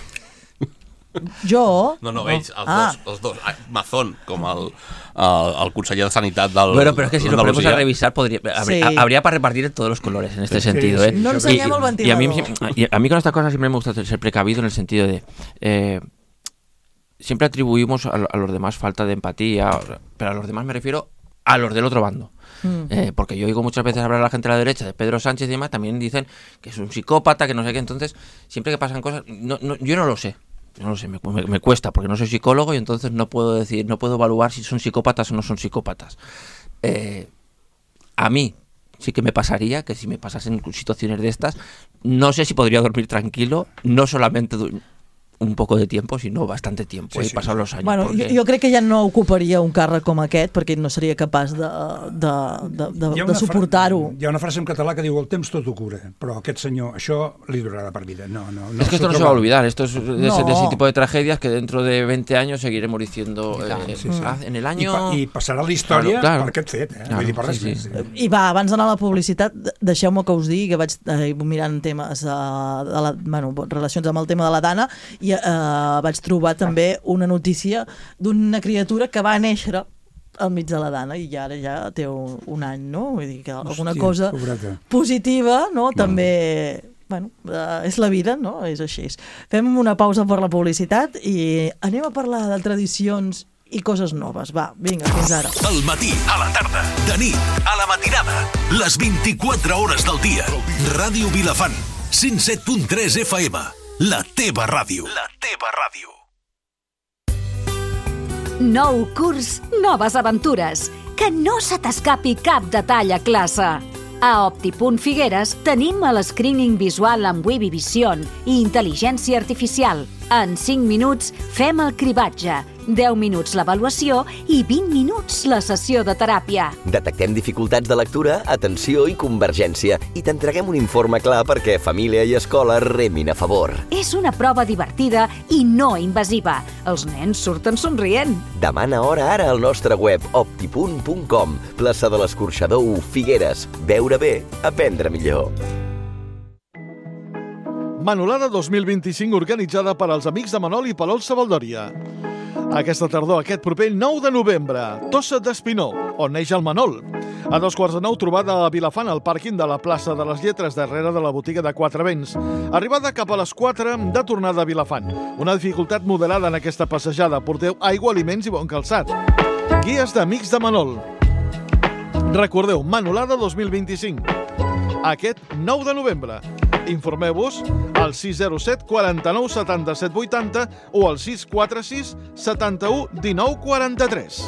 Jo? No, ells, els dos. Mazón, com el conseller de Sanitat del... Bueno, pero es que si lo ponemos a revisar, habría para repartir en todos los colores en este sentido. No enseñemos el ventilador. Y a mí con estas cosas siempre me gusta ser precavido en el sentido de... siempre atribuimos a los demás falta de empatía, pero a los demás me refiero a los del otro bando. Porque yo oigo muchas veces hablar a la gente de la derecha de Pedro Sánchez y demás, también dicen que es un psicópata, que no sé qué, entonces siempre que pasan cosas, yo no lo sé, me cuesta porque no soy psicólogo y entonces no puedo evaluar si son psicópatas o no son psicópatas. A mí sí que me pasaría que si me pasasen situaciones de estas, no sé si podría dormir tranquilo, no solamente un poco de tiempo, sinó bastante tiempo, passat los anys. Bueno, jo crec que ja no ocuparia un càrrec com aquest perquè no seria capaç de suportar-ho. Hi ha una frase en català que diu el temps tot ho cura, però aquest senyor, això li durarà per vida. Es que esto no se va a olvidar, esto es de ese tipo de tragedias que dentro de 20 años seguiremos diciendo en el año... I passarà la història per aquest fet, vull dir, per res més. I va, abans d'anar a la publicitat, deixeu-me que us digui que vaig mirant temes relacions amb el tema de la Dana i vaig trobar també una notícia d'una criatura que va néixer al mig de la Dana i ara ja té un any, no? Vull dir que alguna cosa positiva, no? També, bueno, és la vida, no? És així. Fem una pausa per la publicitat i anem a parlar de tradicions i coses noves. Va, vinga, fins ara. Al matí, a la tarda, de nit, a la matinada, les 24 hores del dia. Ràdio Vilafant, 107.3 FM. La teva ràdio. La teva ràdio. Nou curs, noves aventures. Que no se t'escapi cap detall a classe. A Opti.Figueres tenim el screening visual amb Webby Vision i intel·ligència artificial. En 5 minuts fem el cribatge, 10 minuts l'avaluació i 20 minuts la sessió de teràpia. Detectem dificultats de lectura, atenció i convergència i t'entreguem un informe clar perquè família i escola remin a favor. És una prova divertida i no invasiva. Els nens surten somrient. Demana hora ara al nostre web opti.com. Plaça de l'Escorxador 1, Figueres. Veure bé, aprendre millor. Manolada 2025 organitzada per als amics de Manol i Palol Savaldòria. Aquesta tardor, aquest proper 9 de novembre, Tossa d'Espinó, on neix el Manol. A 8:45, trobada a Vilafant, al pàrquing de la plaça de les Lletres, darrere de la botiga de Quatre Vents. Arribada cap a les 4 de tornada a Vilafant. Una dificultat moderada en aquesta passejada. Porteu aigua, aliments i bon calçat. Guies d'Amics de Manol. Recordeu, Manolada 2025. Aquest 9 de novembre. Informeu-vos al 607 49 77 80 o al 646 71 19 43.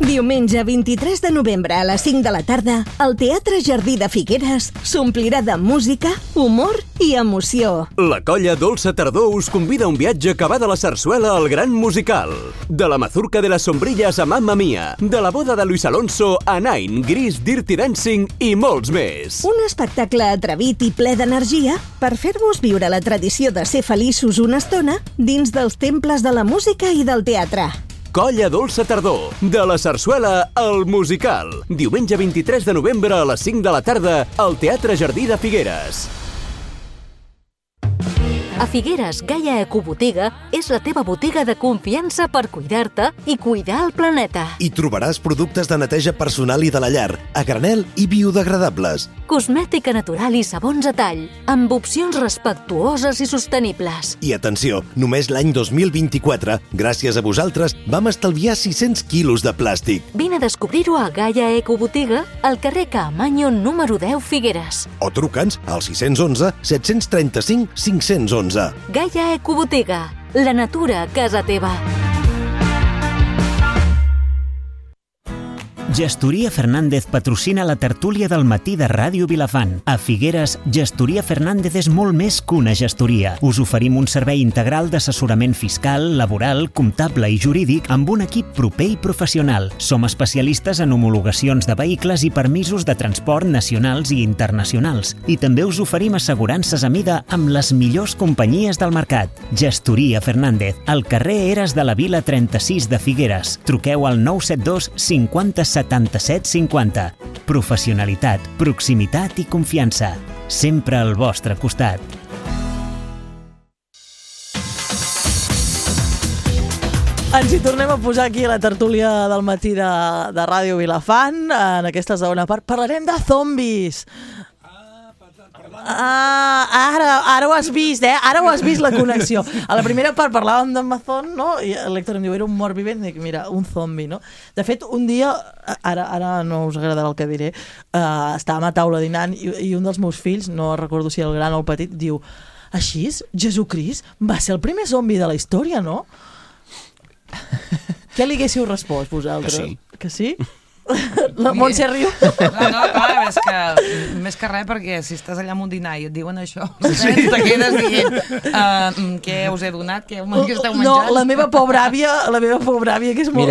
Diumenge 23 de novembre a les 5 de la tarda, el Teatre Jardí de Figueres s'omplirà de música, humor i emoció. La colla Dolça Tardor us convida a un viatge que va de la sarsuela al gran musical. De la mazurca de les sombrilles a Mamma Mia, de la boda de Luis Alonso a Nine, Gris, Dirty Dancing i molts més. Un espectacle atrevit i ple d'energia per fer-vos viure la tradició de ser feliços una estona dins dels temples de la música i del teatre. Colla Dolça Tardor, de la sarsuela al musical. Diumenge 23 de novembre a les 5 de la tarda al Teatre Jardí de Figueres. A Figueres, Gaia Ecobotiga és la teva botiga de confiança per cuidar-te i cuidar el planeta. Hi trobaràs productes de neteja personal i de la llar, a granel i biodegradables. Cosmètica natural i sabons a tall, amb opcions respectuoses i sostenibles. I atenció, només l'any 2024, gràcies a vosaltres, vam estalviar 600 quilos de plàstic. Vine a descobrir-ho a Gaia Ecobotiga, al carrer Caamaño número 10, Figueres. O truca'ns al 611 735 511. Gaia Ecobotiga, la natura a casa teva. Gestoria Fernández patrocina la tertúlia del matí de Ràdio Vilafant. A Figueres, Gestoria Fernández és molt més que una gestoria. Us oferim un servei integral d'assessorament fiscal, laboral, comptable i jurídic amb un equip proper i professional. Som especialistes en homologacions de vehicles i permisos de transport nacionals i internacionals. I també us oferim assegurances a mida amb les millors companyies del mercat. Gestoria Fernández, al carrer Eres de la Vila 36 de Figueres. Truqueu al 972 50 77 50. Professionalitat, proximitat i confiança. Sempre al vostre costat. Ens hi tornem a posar aquí a la tertúlia del matí de Ràdio Vilafant. En aquesta segona part parlarem de zombis. Ara ho has vist, Ara ho has vist, la connexió. A la primera part parlàvem d'Amazon, no? I l'Héctor em diu, era un mort vivent. Dic, mira, un zombi, no? De fet, un dia, ara no us agradarà el que diré, estàvem a taula dinant i un dels meus fills, no recordo si el gran o el petit, diu, així, Jesucrist va ser el primer zombi de la història, no? Què li haguéssiu respost, vosaltres? Que sí. Que sí? La Montse riu. No, clar, és que més que res, perquè si estàs allà amb un dinar i et diuen això, te quedes dient què us he donat, què esteu menjant. No, la meva pobra àvia, que és molt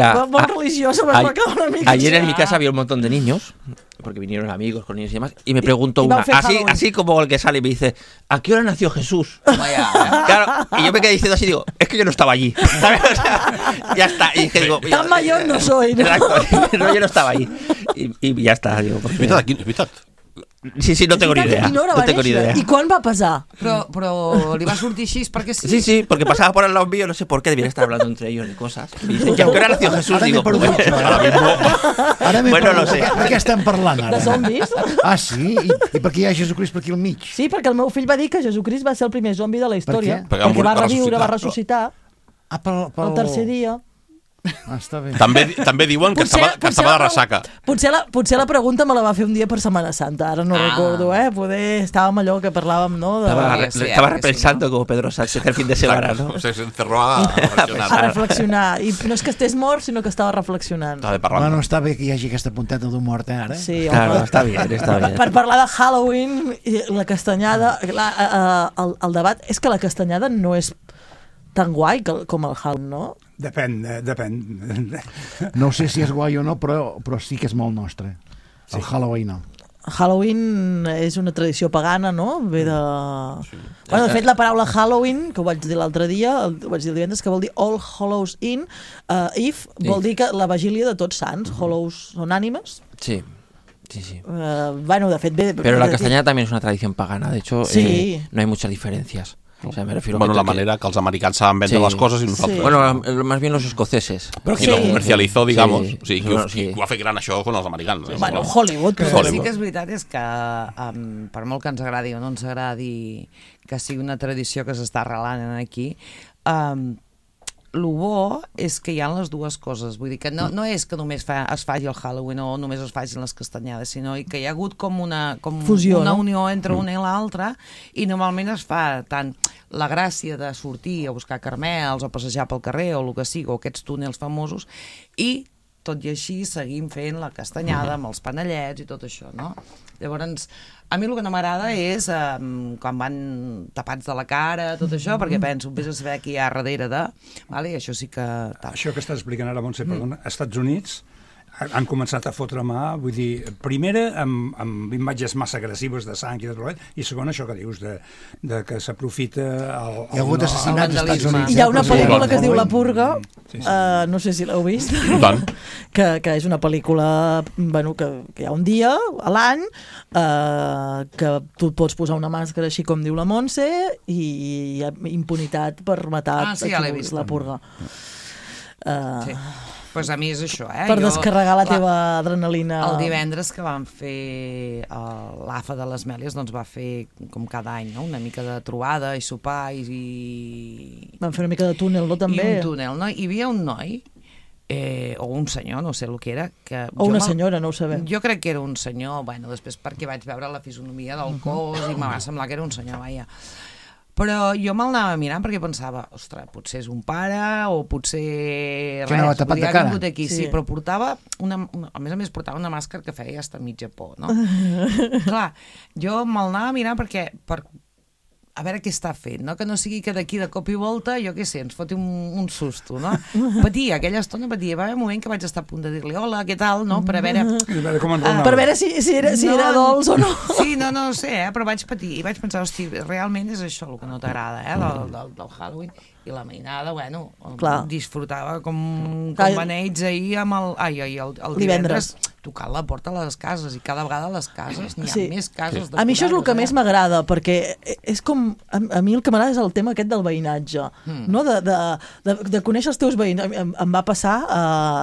religiosa, va quedar una mica. Ayer en mi casa había un montón de niños, porque vinieron amigos con niños y demás, y me preguntó una, así como el que sale y me dice, ¿a qué hora nació Jesús? Claro, y yo me quedé diciendo así, digo, es que yo no estaba allí, ¿sabes? O sea, ya está, y dije, digo, tan mayor no soy, ¿no? Exacto, no, yo no estaba allí, y ya está, digo. És veritat. Sí, no tengo ni idea. No tengo ni idea. ¿Y cuán va a pasar? Pero le va a surtir així perquè sí. Sí, porque pasaba por al lado mío, no sé por qué, debían estar hablando entre ellos de cosas. Y dicen, ¿ya qué hora nació Jesús? Digo, bueno, no sé. Per què estem parlant ara? De zombis? Ah, sí? I per què hi ha Jesucrist per aquí al mig? Sí, perquè el meu fill va dir que Jesucrist va ser el primer zombi de la història. Perquè va reviure, va ressuscitar el tercer dia. Està bé. També diuen que estava de ressaca. Potser la pregunta me la va fer un dia per Setmana Santa, ara no recordo, Poder estàvem allò que parlàvem, no? Estava repensando como Pedro Sánchez el fin de semana, ¿no? Se encerró a reflexionar. A reflexionar. I no és que estés mort, sinó que estava reflexionant. Bueno, està bé que hi hagi aquesta punteta d'humor, ara. Sí, claro, està bé. Per parlar de Halloween, la castanyada, el debat és que la castanyada no és tan guai com el Halloween, no? Depèn. No sé si és guai o no, però sí que és molt nostre. El Halloween no. Halloween és una tradició pagana, no? Ve de... Bueno, de fet, la paraula Halloween, que ho vaig dir l'altre dia, ho vaig dir el divendres, que vol dir All Hallows Eve, vol dir que la vigília de Tots Sants. Hallows són ànimes. Sí. Bueno, de fet... Pero la castañada también es una tradición pagana, de hecho, no hay muchas diferencias. O sea, me refiero a la manera que los americanos saben vender las cosas y nosotros. Bueno, más bien los escoceses. Pero quien lo comercializó, digamos. Sí, qui ho ha fet gran això con els americans. Bueno, Hollywood. Però sí que és veritat és que per molt que ens agradi o no ens agradi que sigui una tradició que s'està arrelant aquí, el bo és que hi ha les dues coses, vull dir que no és que només es faci el Halloween o només es facin les castanyades, sinó que hi ha hagut com una fusió, una unió entre una i l'altra, i normalment es fa tant la gràcia de sortir a buscar caramels o passejar pel carrer o el que sigui, o aquests túnels famosos, i tot i així seguim fent la castanyada amb els panellets i tot això, no? Llavors, a mi el que no m'agrada és quan van tapats de la cara, tot això, perquè penso, vés a saber qui hi ha darrere de... I això sí que... Això que estàs explicant ara, Montse, perdona, als Estats Units han començat a fotre mà, vull dir, primera amb imatges massa agressives de sang i de trolet, i segona això que dius, de que s'aprofita hi ha hagut assassinats als Estats Units. Hi ha una pel·lícula que es diu La Purga, no sé si l'heu vist, que és una pel·lícula que hi ha un dia a l'any que tu et pots posar una màscara així com diu la Montse i hi ha impunitat per matar La Purga. Sí. Pues a mi és això, Per descarregar la teva adrenalina. El divendres que vam fer l'AFA de les Mèlies, doncs va fer, com cada any, una mica de trobada i sopar i... Vam fer una mica de túnel, no, també? I un túnel, no? Hi havia un noi, o un senyor, no sé el que era... O una senyora, no ho sabem. Jo crec que era un senyor, després perquè vaig veure la fisonomia del cos i em va semblar que era un senyor, Però jo me'l anava mirant perquè pensava, ostres, potser és un pare o potser que res, podia haver vingut aquí, sí, però portava a més portava una màscara que feia hasta mitja por, no? Clar, jo me'l anava mirant perquè a veure què està fent, no? Que no sigui que d'aquí de cop i volta, jo què sé, ens foti un susto, no? Patia, aquella estona patia. Va haver un moment que vaig estar a punt de dir-li hola, què tal, no? Per a veure... Per veure si era dolç o no. Sí, no sé, però vaig patir i vaig pensar, hosti, realment és això el que no t'agrada, del Halloween. I la mainada, disfrutava com beneits ahir amb el divendres tocant la porta a les cases, i cada vegada a les cases n'hi ha més cases. A mi això és el que més m'agrada, perquè és com... A mi el que m'agrada és el tema aquest del veïnatge, no? De conèixer els teus veïns. Em va passar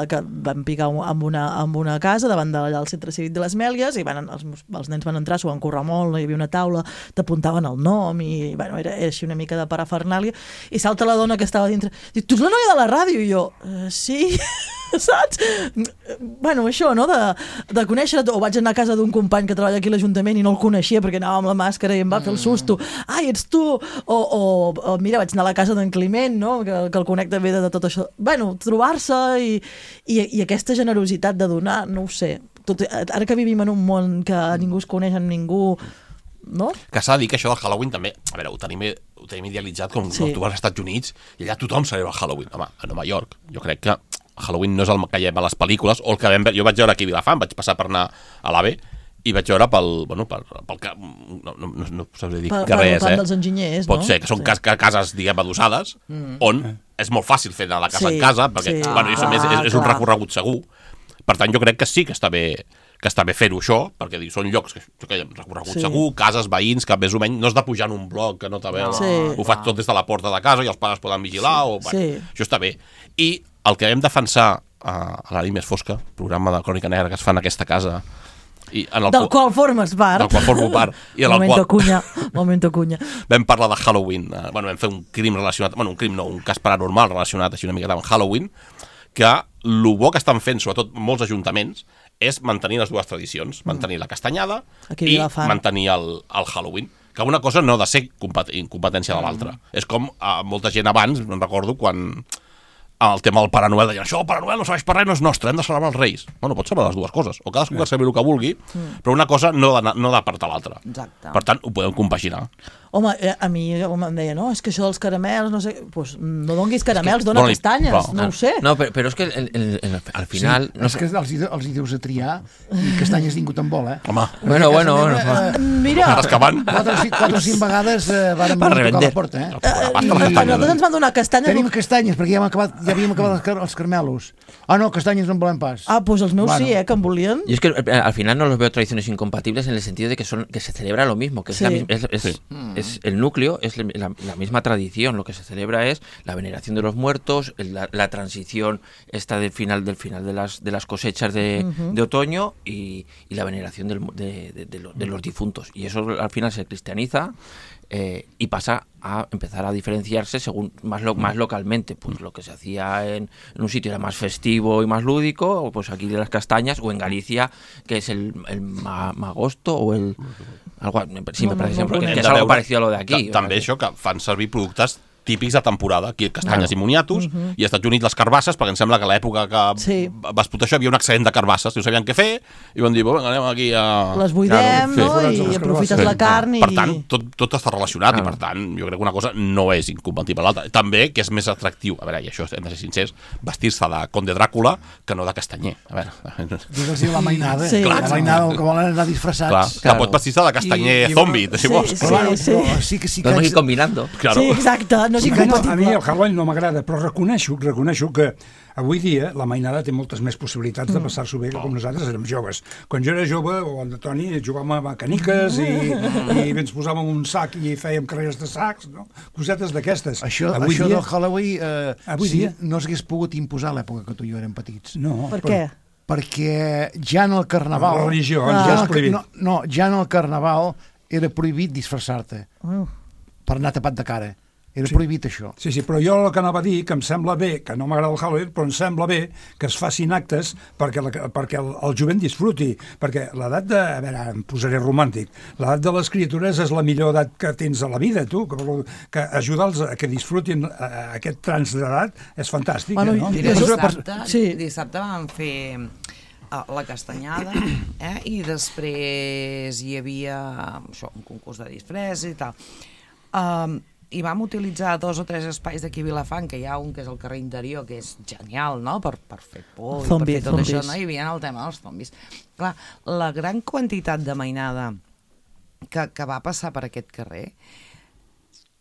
que vam picar en una casa davant d'allà al centre cívic de les Mèlies, i els nens van entrar, s'ho van currar molt, hi havia una taula, t'apuntaven el nom, i era així una mica de parafernàlia, i salta la dona que estava dintre, diu, tu ets la noia de la ràdio? I jo, sí, saps? Bueno, això, no? De conèixer, o vaig anar a casa d'un company que treballa aquí a l'Ajuntament i no el coneixia perquè anava amb la màscara i em va fer el susto, ai, ets tu, o mira, vaig anar a la casa d'en Climent, no? Que el conec també de tot això. Bueno, trobar-se i aquesta generositat de donar, no ho sé, ara que vivim en un món que ningú es coneix amb ningú, no? Que s'ha de dir que això del Halloween també, a veure, ho tenim idealitzat com tu vas als Estats Units i allà tothom celebra el Halloween. Home, a Nova York, jo crec que Halloween no és el que hi ha a les pel·lícules, o el que jo vaig veure aquí a Vilafant, vaig passar per anar a l'AVE i vaig veure no sabré dir que res, dels enginyers, pot ser que són cases, diguem, adossades, on és molt fàcil fer anar la casa en casa, perquè és un recorregut segur. Per tant, jo crec que sí que està bé fer-ho això, perquè són llocs que hi ha recorregut segur, cases, veïns, que més o menys no has de pujar en un bloc que no t'ha ho faig tot des de la porta de casa i els pares poden vigilar, això està bé. I el que vam defensar a la nit més fosca, programa de Crònica Negra que es fa en aquesta casa, del qual formes part. Del qual formo part. Momento cunya. Vam parlar de Halloween, vam fer un crim relacionat, un cas paranormal relacionat així una miqueta amb Halloween, que el bo que estan fent, sobretot molts ajuntaments, és mantenir les dues tradicions, mantenir la castanyada i mantenir el Halloween. Que una cosa no ha de ser competència de l'altra. És com molta gent abans, me'n recordo, quan el tema del Pare Noel deien, això el Pare Noel no serveix per res, no és nostre, hem de celebrar els Reis. Bueno, pots celebrar les dues coses, o cadascú que celebri el que vulgui, però una cosa no ha d'apartar l'altra. Per tant, ho podem compaginar. Home, a mi em deia, no, és que això dels caramels, no sé, doncs no donguis caramels, dona castanyes, no ho sé. No, però és que al final... És que els hi deus a triar i castanyes ningú te'n vol, eh? Home, bueno. Mira, 4 o 5 vegades vàrem tocar la porta, eh? I nosaltres ens van donar castanyes. Tenim castanyes, perquè ja havíem acabat els caramelos. Ah, no, castanyes no en volem pas. Ah, doncs els meus sí, que en volien. Y es que al final no los veo tradiciones incompatibles en el sentido de que se celebra lo mismo, que es el núcleo, es la misma tradición. Lo que se celebra es la veneración de los muertos, la transición del final de las cosechas de otoño y la veneración de los difuntos. Y eso al final se cristianiza y pasa a empezar a diferenciarse según más localmente. Pues lo que se hacía en un sitio era más festivo y más lúdico, o pues aquí de las castañas, o en Galicia, que es el magosto, o el... Algo, sí, me parece que es algo parecido a lo de aquí. També això, que fan servir productes típics de temporada, aquí castanyes i moniatos, i als Estats Units les carbasses, perquè em sembla que a l'època que va explotar això hi havia un excedent de carbasses, no sabien què fer, i van dir, vinga, anem aquí a... Les buidem, no? I aprofites la carn i... Per tant, tot està relacionat, i per tant, jo crec que una cosa no és incompatible a l'altra. També, que és més atractiu, a veure, i això hem de ser sincers, vestir-se de Conde Dràcula que no de castanyer. A veure... Digues-hi la mainada. La mainada, que volen anar disfressats. Que pot vestir-se de castanyer zombi, si vols. Sí, podemos ir combinando. Sí, exacte. A mi el Halloween no m'agrada, però reconeixo que avui dia la mainada té moltes més possibilitats de passar-s'ho bé que com nosaltres érem joves. Quan jo era jove, o el de Toni, jugàvem a caniques i ens posàvem un sac i fèiem carreres de sacs, no? Cosetes d'aquestes. Això del Halloween no s'hagués pogut imposar a l'època que tu i jo érem petits. No. Per què? Perquè ja en el Carnaval... La religió, ja és prohibit. No, ja en el Carnaval era prohibit disfressar-te per anar tapat de cara. Era prohibit això. Sí, però jo el que anava a dir, que em sembla bé, que no m'agrada el Halloween, però em sembla bé que es facin actes perquè el jovent disfruti, perquè l'edat de... A veure, em posaré romàntic. L'edat de les criatures és la millor edat que tens a la vida, tu, que ajudar-los a que disfrutin aquest trans d'edat és fantàstic. Bueno, no? Dissabte vam fer la castanyada, i després hi havia un concurs de disfress i tal. I vam utilitzar 2 o 3 espais d'aquí a Vilafant, que hi ha un que és el carrer Interior, que és genial, no?, per fer por i per fer tot això, no? Hi havia el tema dels zombis. Clar, la gran quantitat de mainada que va passar per aquest carrer,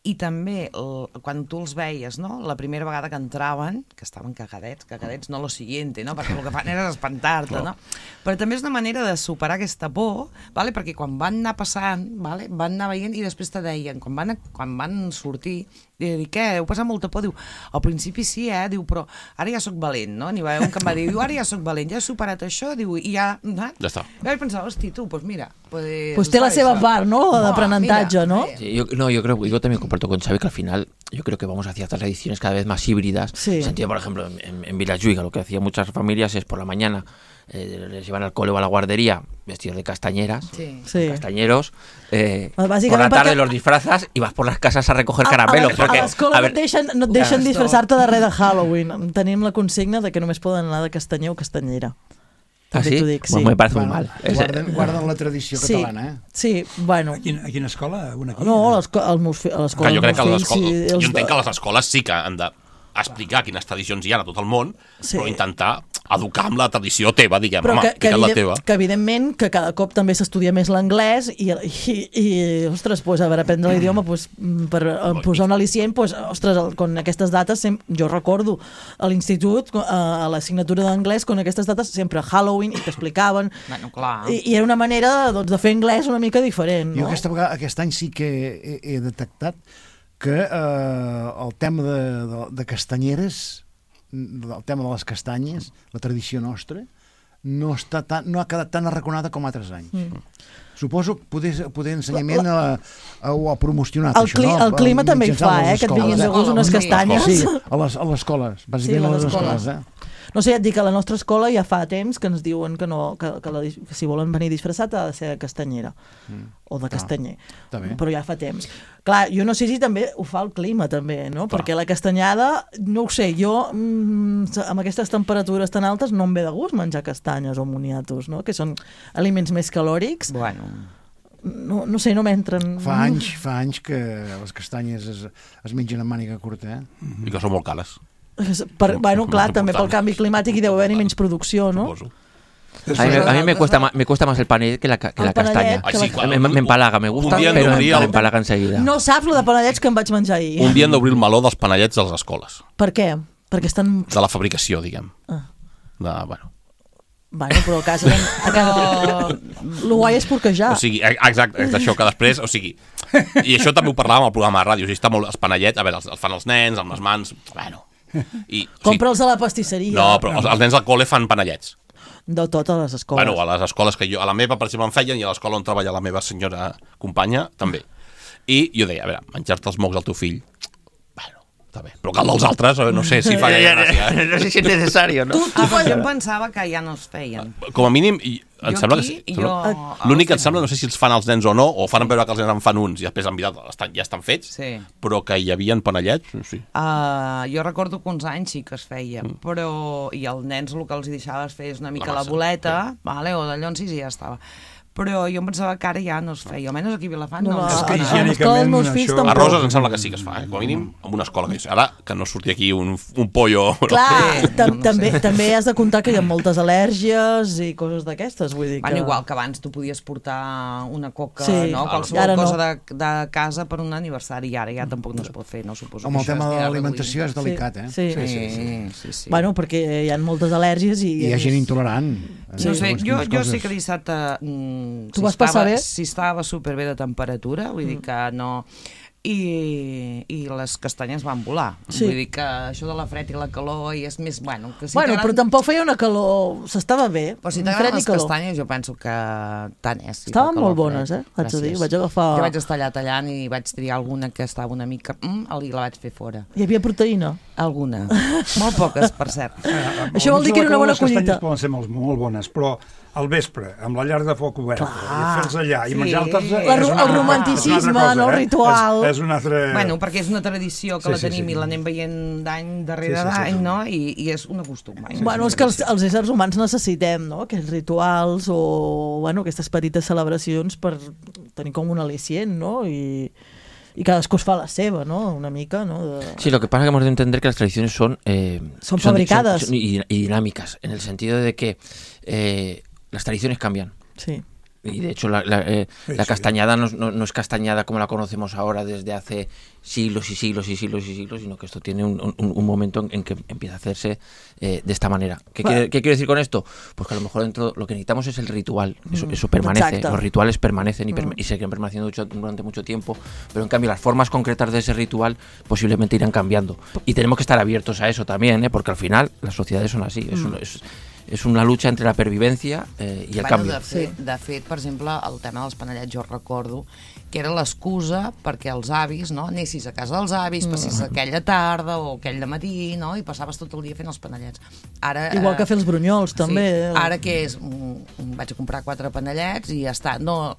i també quan tu els veies, no?, la primera vegada que entraven, que estaven cagadets, no lo siguiente, no?, perquè el que fan era espantar-te, no? Però també és una manera de superar aquesta por, ¿vale? Perquè quan van anar passant, ¿vale?, van anar veient i després te deien, quan van sortir, dic, què, heu passat molta por? Diu, al principi sí, diu, però ara ja soc valent, no? N'hi va haver un que em va dir, ara ja soc valent, ja he superat això, diu, i ja... Ja està. I vaig pensar, hosti, tu, doncs mira... Pues té la seva part, ¿no?, d'aprenentatge, ¿no? Yo también comparto con Xavi que al final yo creo que vamos hacia tradiciones cada vez más híbridas. En el sentido, por ejemplo, en Vilajuiga lo que hacían muchas familias es por la mañana les llevan al cole o a la guardería vestidos de castañeras, castañeros, por la tarde los disfrazas y vas por las casas a recoger caramelos. A l'escola no et deixen disfressar-te de res de Halloween. Tenim la consigna de que només poden anar de castanyer o castanyera. ¿Ah, sí? Bueno, me parece muy mal. Guarden la tradició catalana, eh? Sí, bueno. A quina escola? No, a l'escola. Jo crec que jo entenc que les escoles sí que han d'explicar quines tradicions hi ha a tot el món, però intentar educar amb la tradició teva, diguem, la teva. Que evidentment que cada cop també s'estudia més l'anglès i ostres, a veure, aprendre l'idioma per posar un al·licient, ostres, con aquestes dates, jo recordo a l'institut, a l'assignatura d'anglès, con aquestes dates sempre Halloween, i t'explicaven, i era una manera de fer anglès una mica diferent. Jo aquest any sí que he detectat que el tema de castanyeres, el tema de les castanyes, la tradició nostra, no ha quedat tan arraconada com altres anys. Suposo que poder ensenyament ho ha promocionat, això, no? El clima també hi fa, que et vinguin de gust unes castanyes. Sí, a les escoles, bàsicament a les escoles. No sé, ja et dic que a la nostra escola ja fa temps que ens diuen que si volen venir disfressat ha de ser de castanyera o de castanyer, però ja fa temps. Clar, jo no sé si també ho fa el clima també, no? Perquè la castanyada, no ho sé, jo amb aquestes temperatures tan altes no em ve de gust menjar castanyes o moniatos, no? Que són aliments més calòrics. Bueno... No sé, no m'entren... Fa anys que les castanyes es mengen amb màniga curta, I que són molt cares. Bueno, clar, també pel canvi climàtic hi deu haver-hi menys producció, no? Suposo. A mí me cuesta más el panellet que la castaña. Me empalaga, me gusta, pero me empalaga enseguida. No saps lo de panellets que em vaig menjar ahir. Un dia hem d'obrir el meló dels panellets a les escoles. Per què? Perquè estan... De la fabricació, diguem. Bueno, però a casa... Lo guai és porquejar. O sigui, exacte, és això que després... O sigui, i això també ho parlàvem al programa de ràdio. O sigui, està molt... Els panellets, a veure, els fan els nens, amb les mans... Bueno... Compra'ls a la pastisseria. No, però els nens al col·le fan panellets. De totes les escoles. Bueno, a les escoles que jo... A la meva, per exemple, em feien, i a l'escola on treballa la meva senyora companya, també. I jo deia, a veure, menjar-te els mocs al teu fill... Bueno, està bé. Però cal dels altres, no sé si fa gaire gràcia. No sé si és necessari, no? Jo em pensava que ja no es feien. Com a mínim... Em sembla que l'únic que em sembla, no sé si els fan els nens o no, o fan veure que els nens en fan uns i després en veritat ja estan fets, però que hi havia panellets, sí. Jo recordo que uns anys sí que es feia, però i els nens el que els deixaves fer és una mica la boleta, o de llonsis i ja estava. Però jo em pensava que ara ja no es feia, almenys aquí a Vilafant no. És que higiènicament a Roses em sembla que sí que es fa, com a mínim en una escola. Ara que no surti aquí un pollo... Clar, també has de comptar que hi ha moltes al·lèrgies i coses d'aquestes, vull dir que... Bueno, igual que abans tu podies portar una coca, no? Qualsevol cosa de casa per un aniversari, i ara ja tampoc no es pot fer, no suposo. Amb el tema de l'alimentació és delicat, Sí. Bueno, perquè hi ha moltes al·lèrgies i... Hi ha gent intolerant. No sé, jo sé que dissabte... Tu vas passar bé? Si estava superbé de temperatura, vull dir que no... I les castanyes van volar. Vull dir que això de la fred i la calor i és més... Bueno, però tampoc feia una calor... S'estava bé. Però si t'agraden les castanyes, jo penso que tant és. Estaven molt bones, haig de dir. Vaig agafar... Jo vaig estar allà tallant i vaig triar alguna que estava una mica... I la vaig fer fora. Hi havia proteïna? Alguna. Molt poques, per cert. Això vol dir que era una bona collita. Les castanyes poden ser molt bones, però al vespre, amb la llar de foc oberta, i fer-los allà, i menjar-te'ls... El romanticisme, no el ritual... És un altre... Bueno, perquè és una tradició que la tenim i l'anem veient d'any darrere d'any, no? I és un costum. Bueno, és que els éssers humans necessitem, no? Aquests rituals o, bueno, aquestes petites celebracions per tenir com un al·licient, no? Y cadascú es fa la seva, ¿no? Una mica, ¿no? Sí, lo que pasa es que hemos de entender que las tradiciones son fabricadas y dinámicas, en el sentido de que las tradiciones cambian. Sí. Y de hecho la castañada no es castañada como la conocemos ahora desde hace siglos y siglos y siglos y siglos, sino que esto tiene un momento en que empieza a hacerse de esta manera. ¿Qué quiero decir con esto? Pues que a lo mejor dentro lo que necesitamos es el ritual, eso permanece, exacto. Los rituales permanecen y seguirán permaneciendo durante mucho tiempo, pero en cambio las formas concretas de ese ritual posiblemente irán cambiando. Y tenemos que estar abiertos a eso también, porque al final las sociedades son así, és una lucha entre la pervivència i el canvi. De fet, per exemple, el tema dels panellets jo recordo que era l'excusa perquè els avis, no, anessis a casa dels avis, passis aquella tarda o aquell matí, no, i passaves tot el dia fent els panellets. Ara, igual que fer els brunyols, també. Sí, ara que és, vaig a comprar 4 panellets i ja està. No,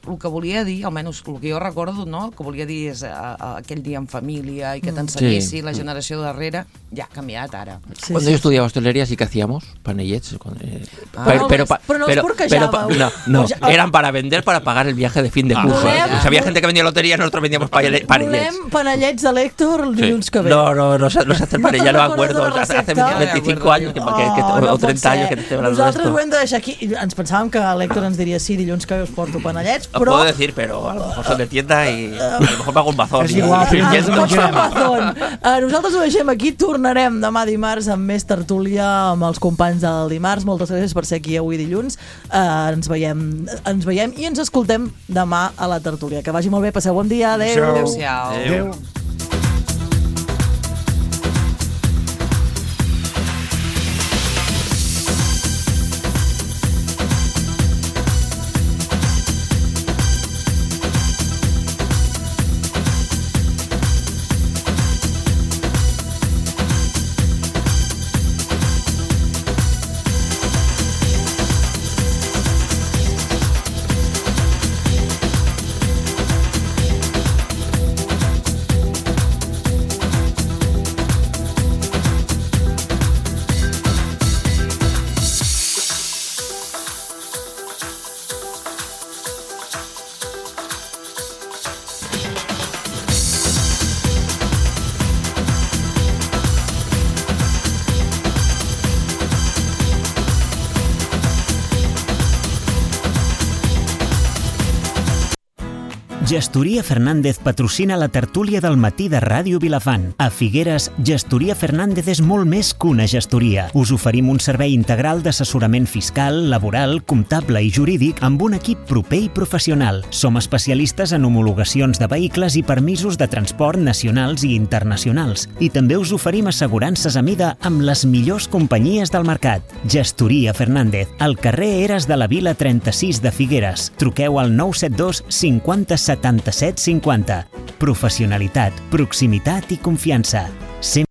el que volia dir, almenys el que jo recordo, no? El que volia dir és aquell dia en família i que t'ensenyessi la generació darrere, ja ha canviat ara. Cuando yo estudiaba hostelería sí que hacíamos panellets. Pero no los porquejàveu. No, eran para vender, para pagar el viaje de fin de curso. O sea, había gente que vendía lotería, nosotros vendíamos panellets. Volem panellets de l'Héctor el dilluns que ve. No se hace panell, ya no me acuerdo. Hace 25 años o 30 años que te estoy hablando de esto. Nosaltres ho hem de deixar aquí. Ens pensàvem que l'Héctor ens diria sí, dilluns que ve us porto panellets, però... Puedo decir, pero a lo mejor son de tienda y a lo mejor pago un mazón. És igual, nosaltres ho deixem aquí, tornarem demà dimarts amb més tertúlia amb els companys del dimarts. Moltes gràcies per ser aquí avui dilluns. Ens veiem i ens escoltem demà a la tertúlia. Que vagi molt bé, passeu bon dia, adeu. Adéu. Gestoria Fernández patrocina la tertúlia del matí de Ràdio Vilafant. A Figueres, Gestoria Fernández és molt més que una gestoria. Us oferim un servei integral d'assessorament fiscal, laboral, comptable i jurídic amb un equip proper i professional. Som especialistes en homologacions de vehicles i permisos de transport nacionals i internacionals. I també us oferim assegurances a mida amb les millors companyies del mercat. Gestoria Fernández, al carrer Eres de la Vila 36 de Figueres. Truqueu al 972 50 77 50. Professionalitat, proximitat i confiança.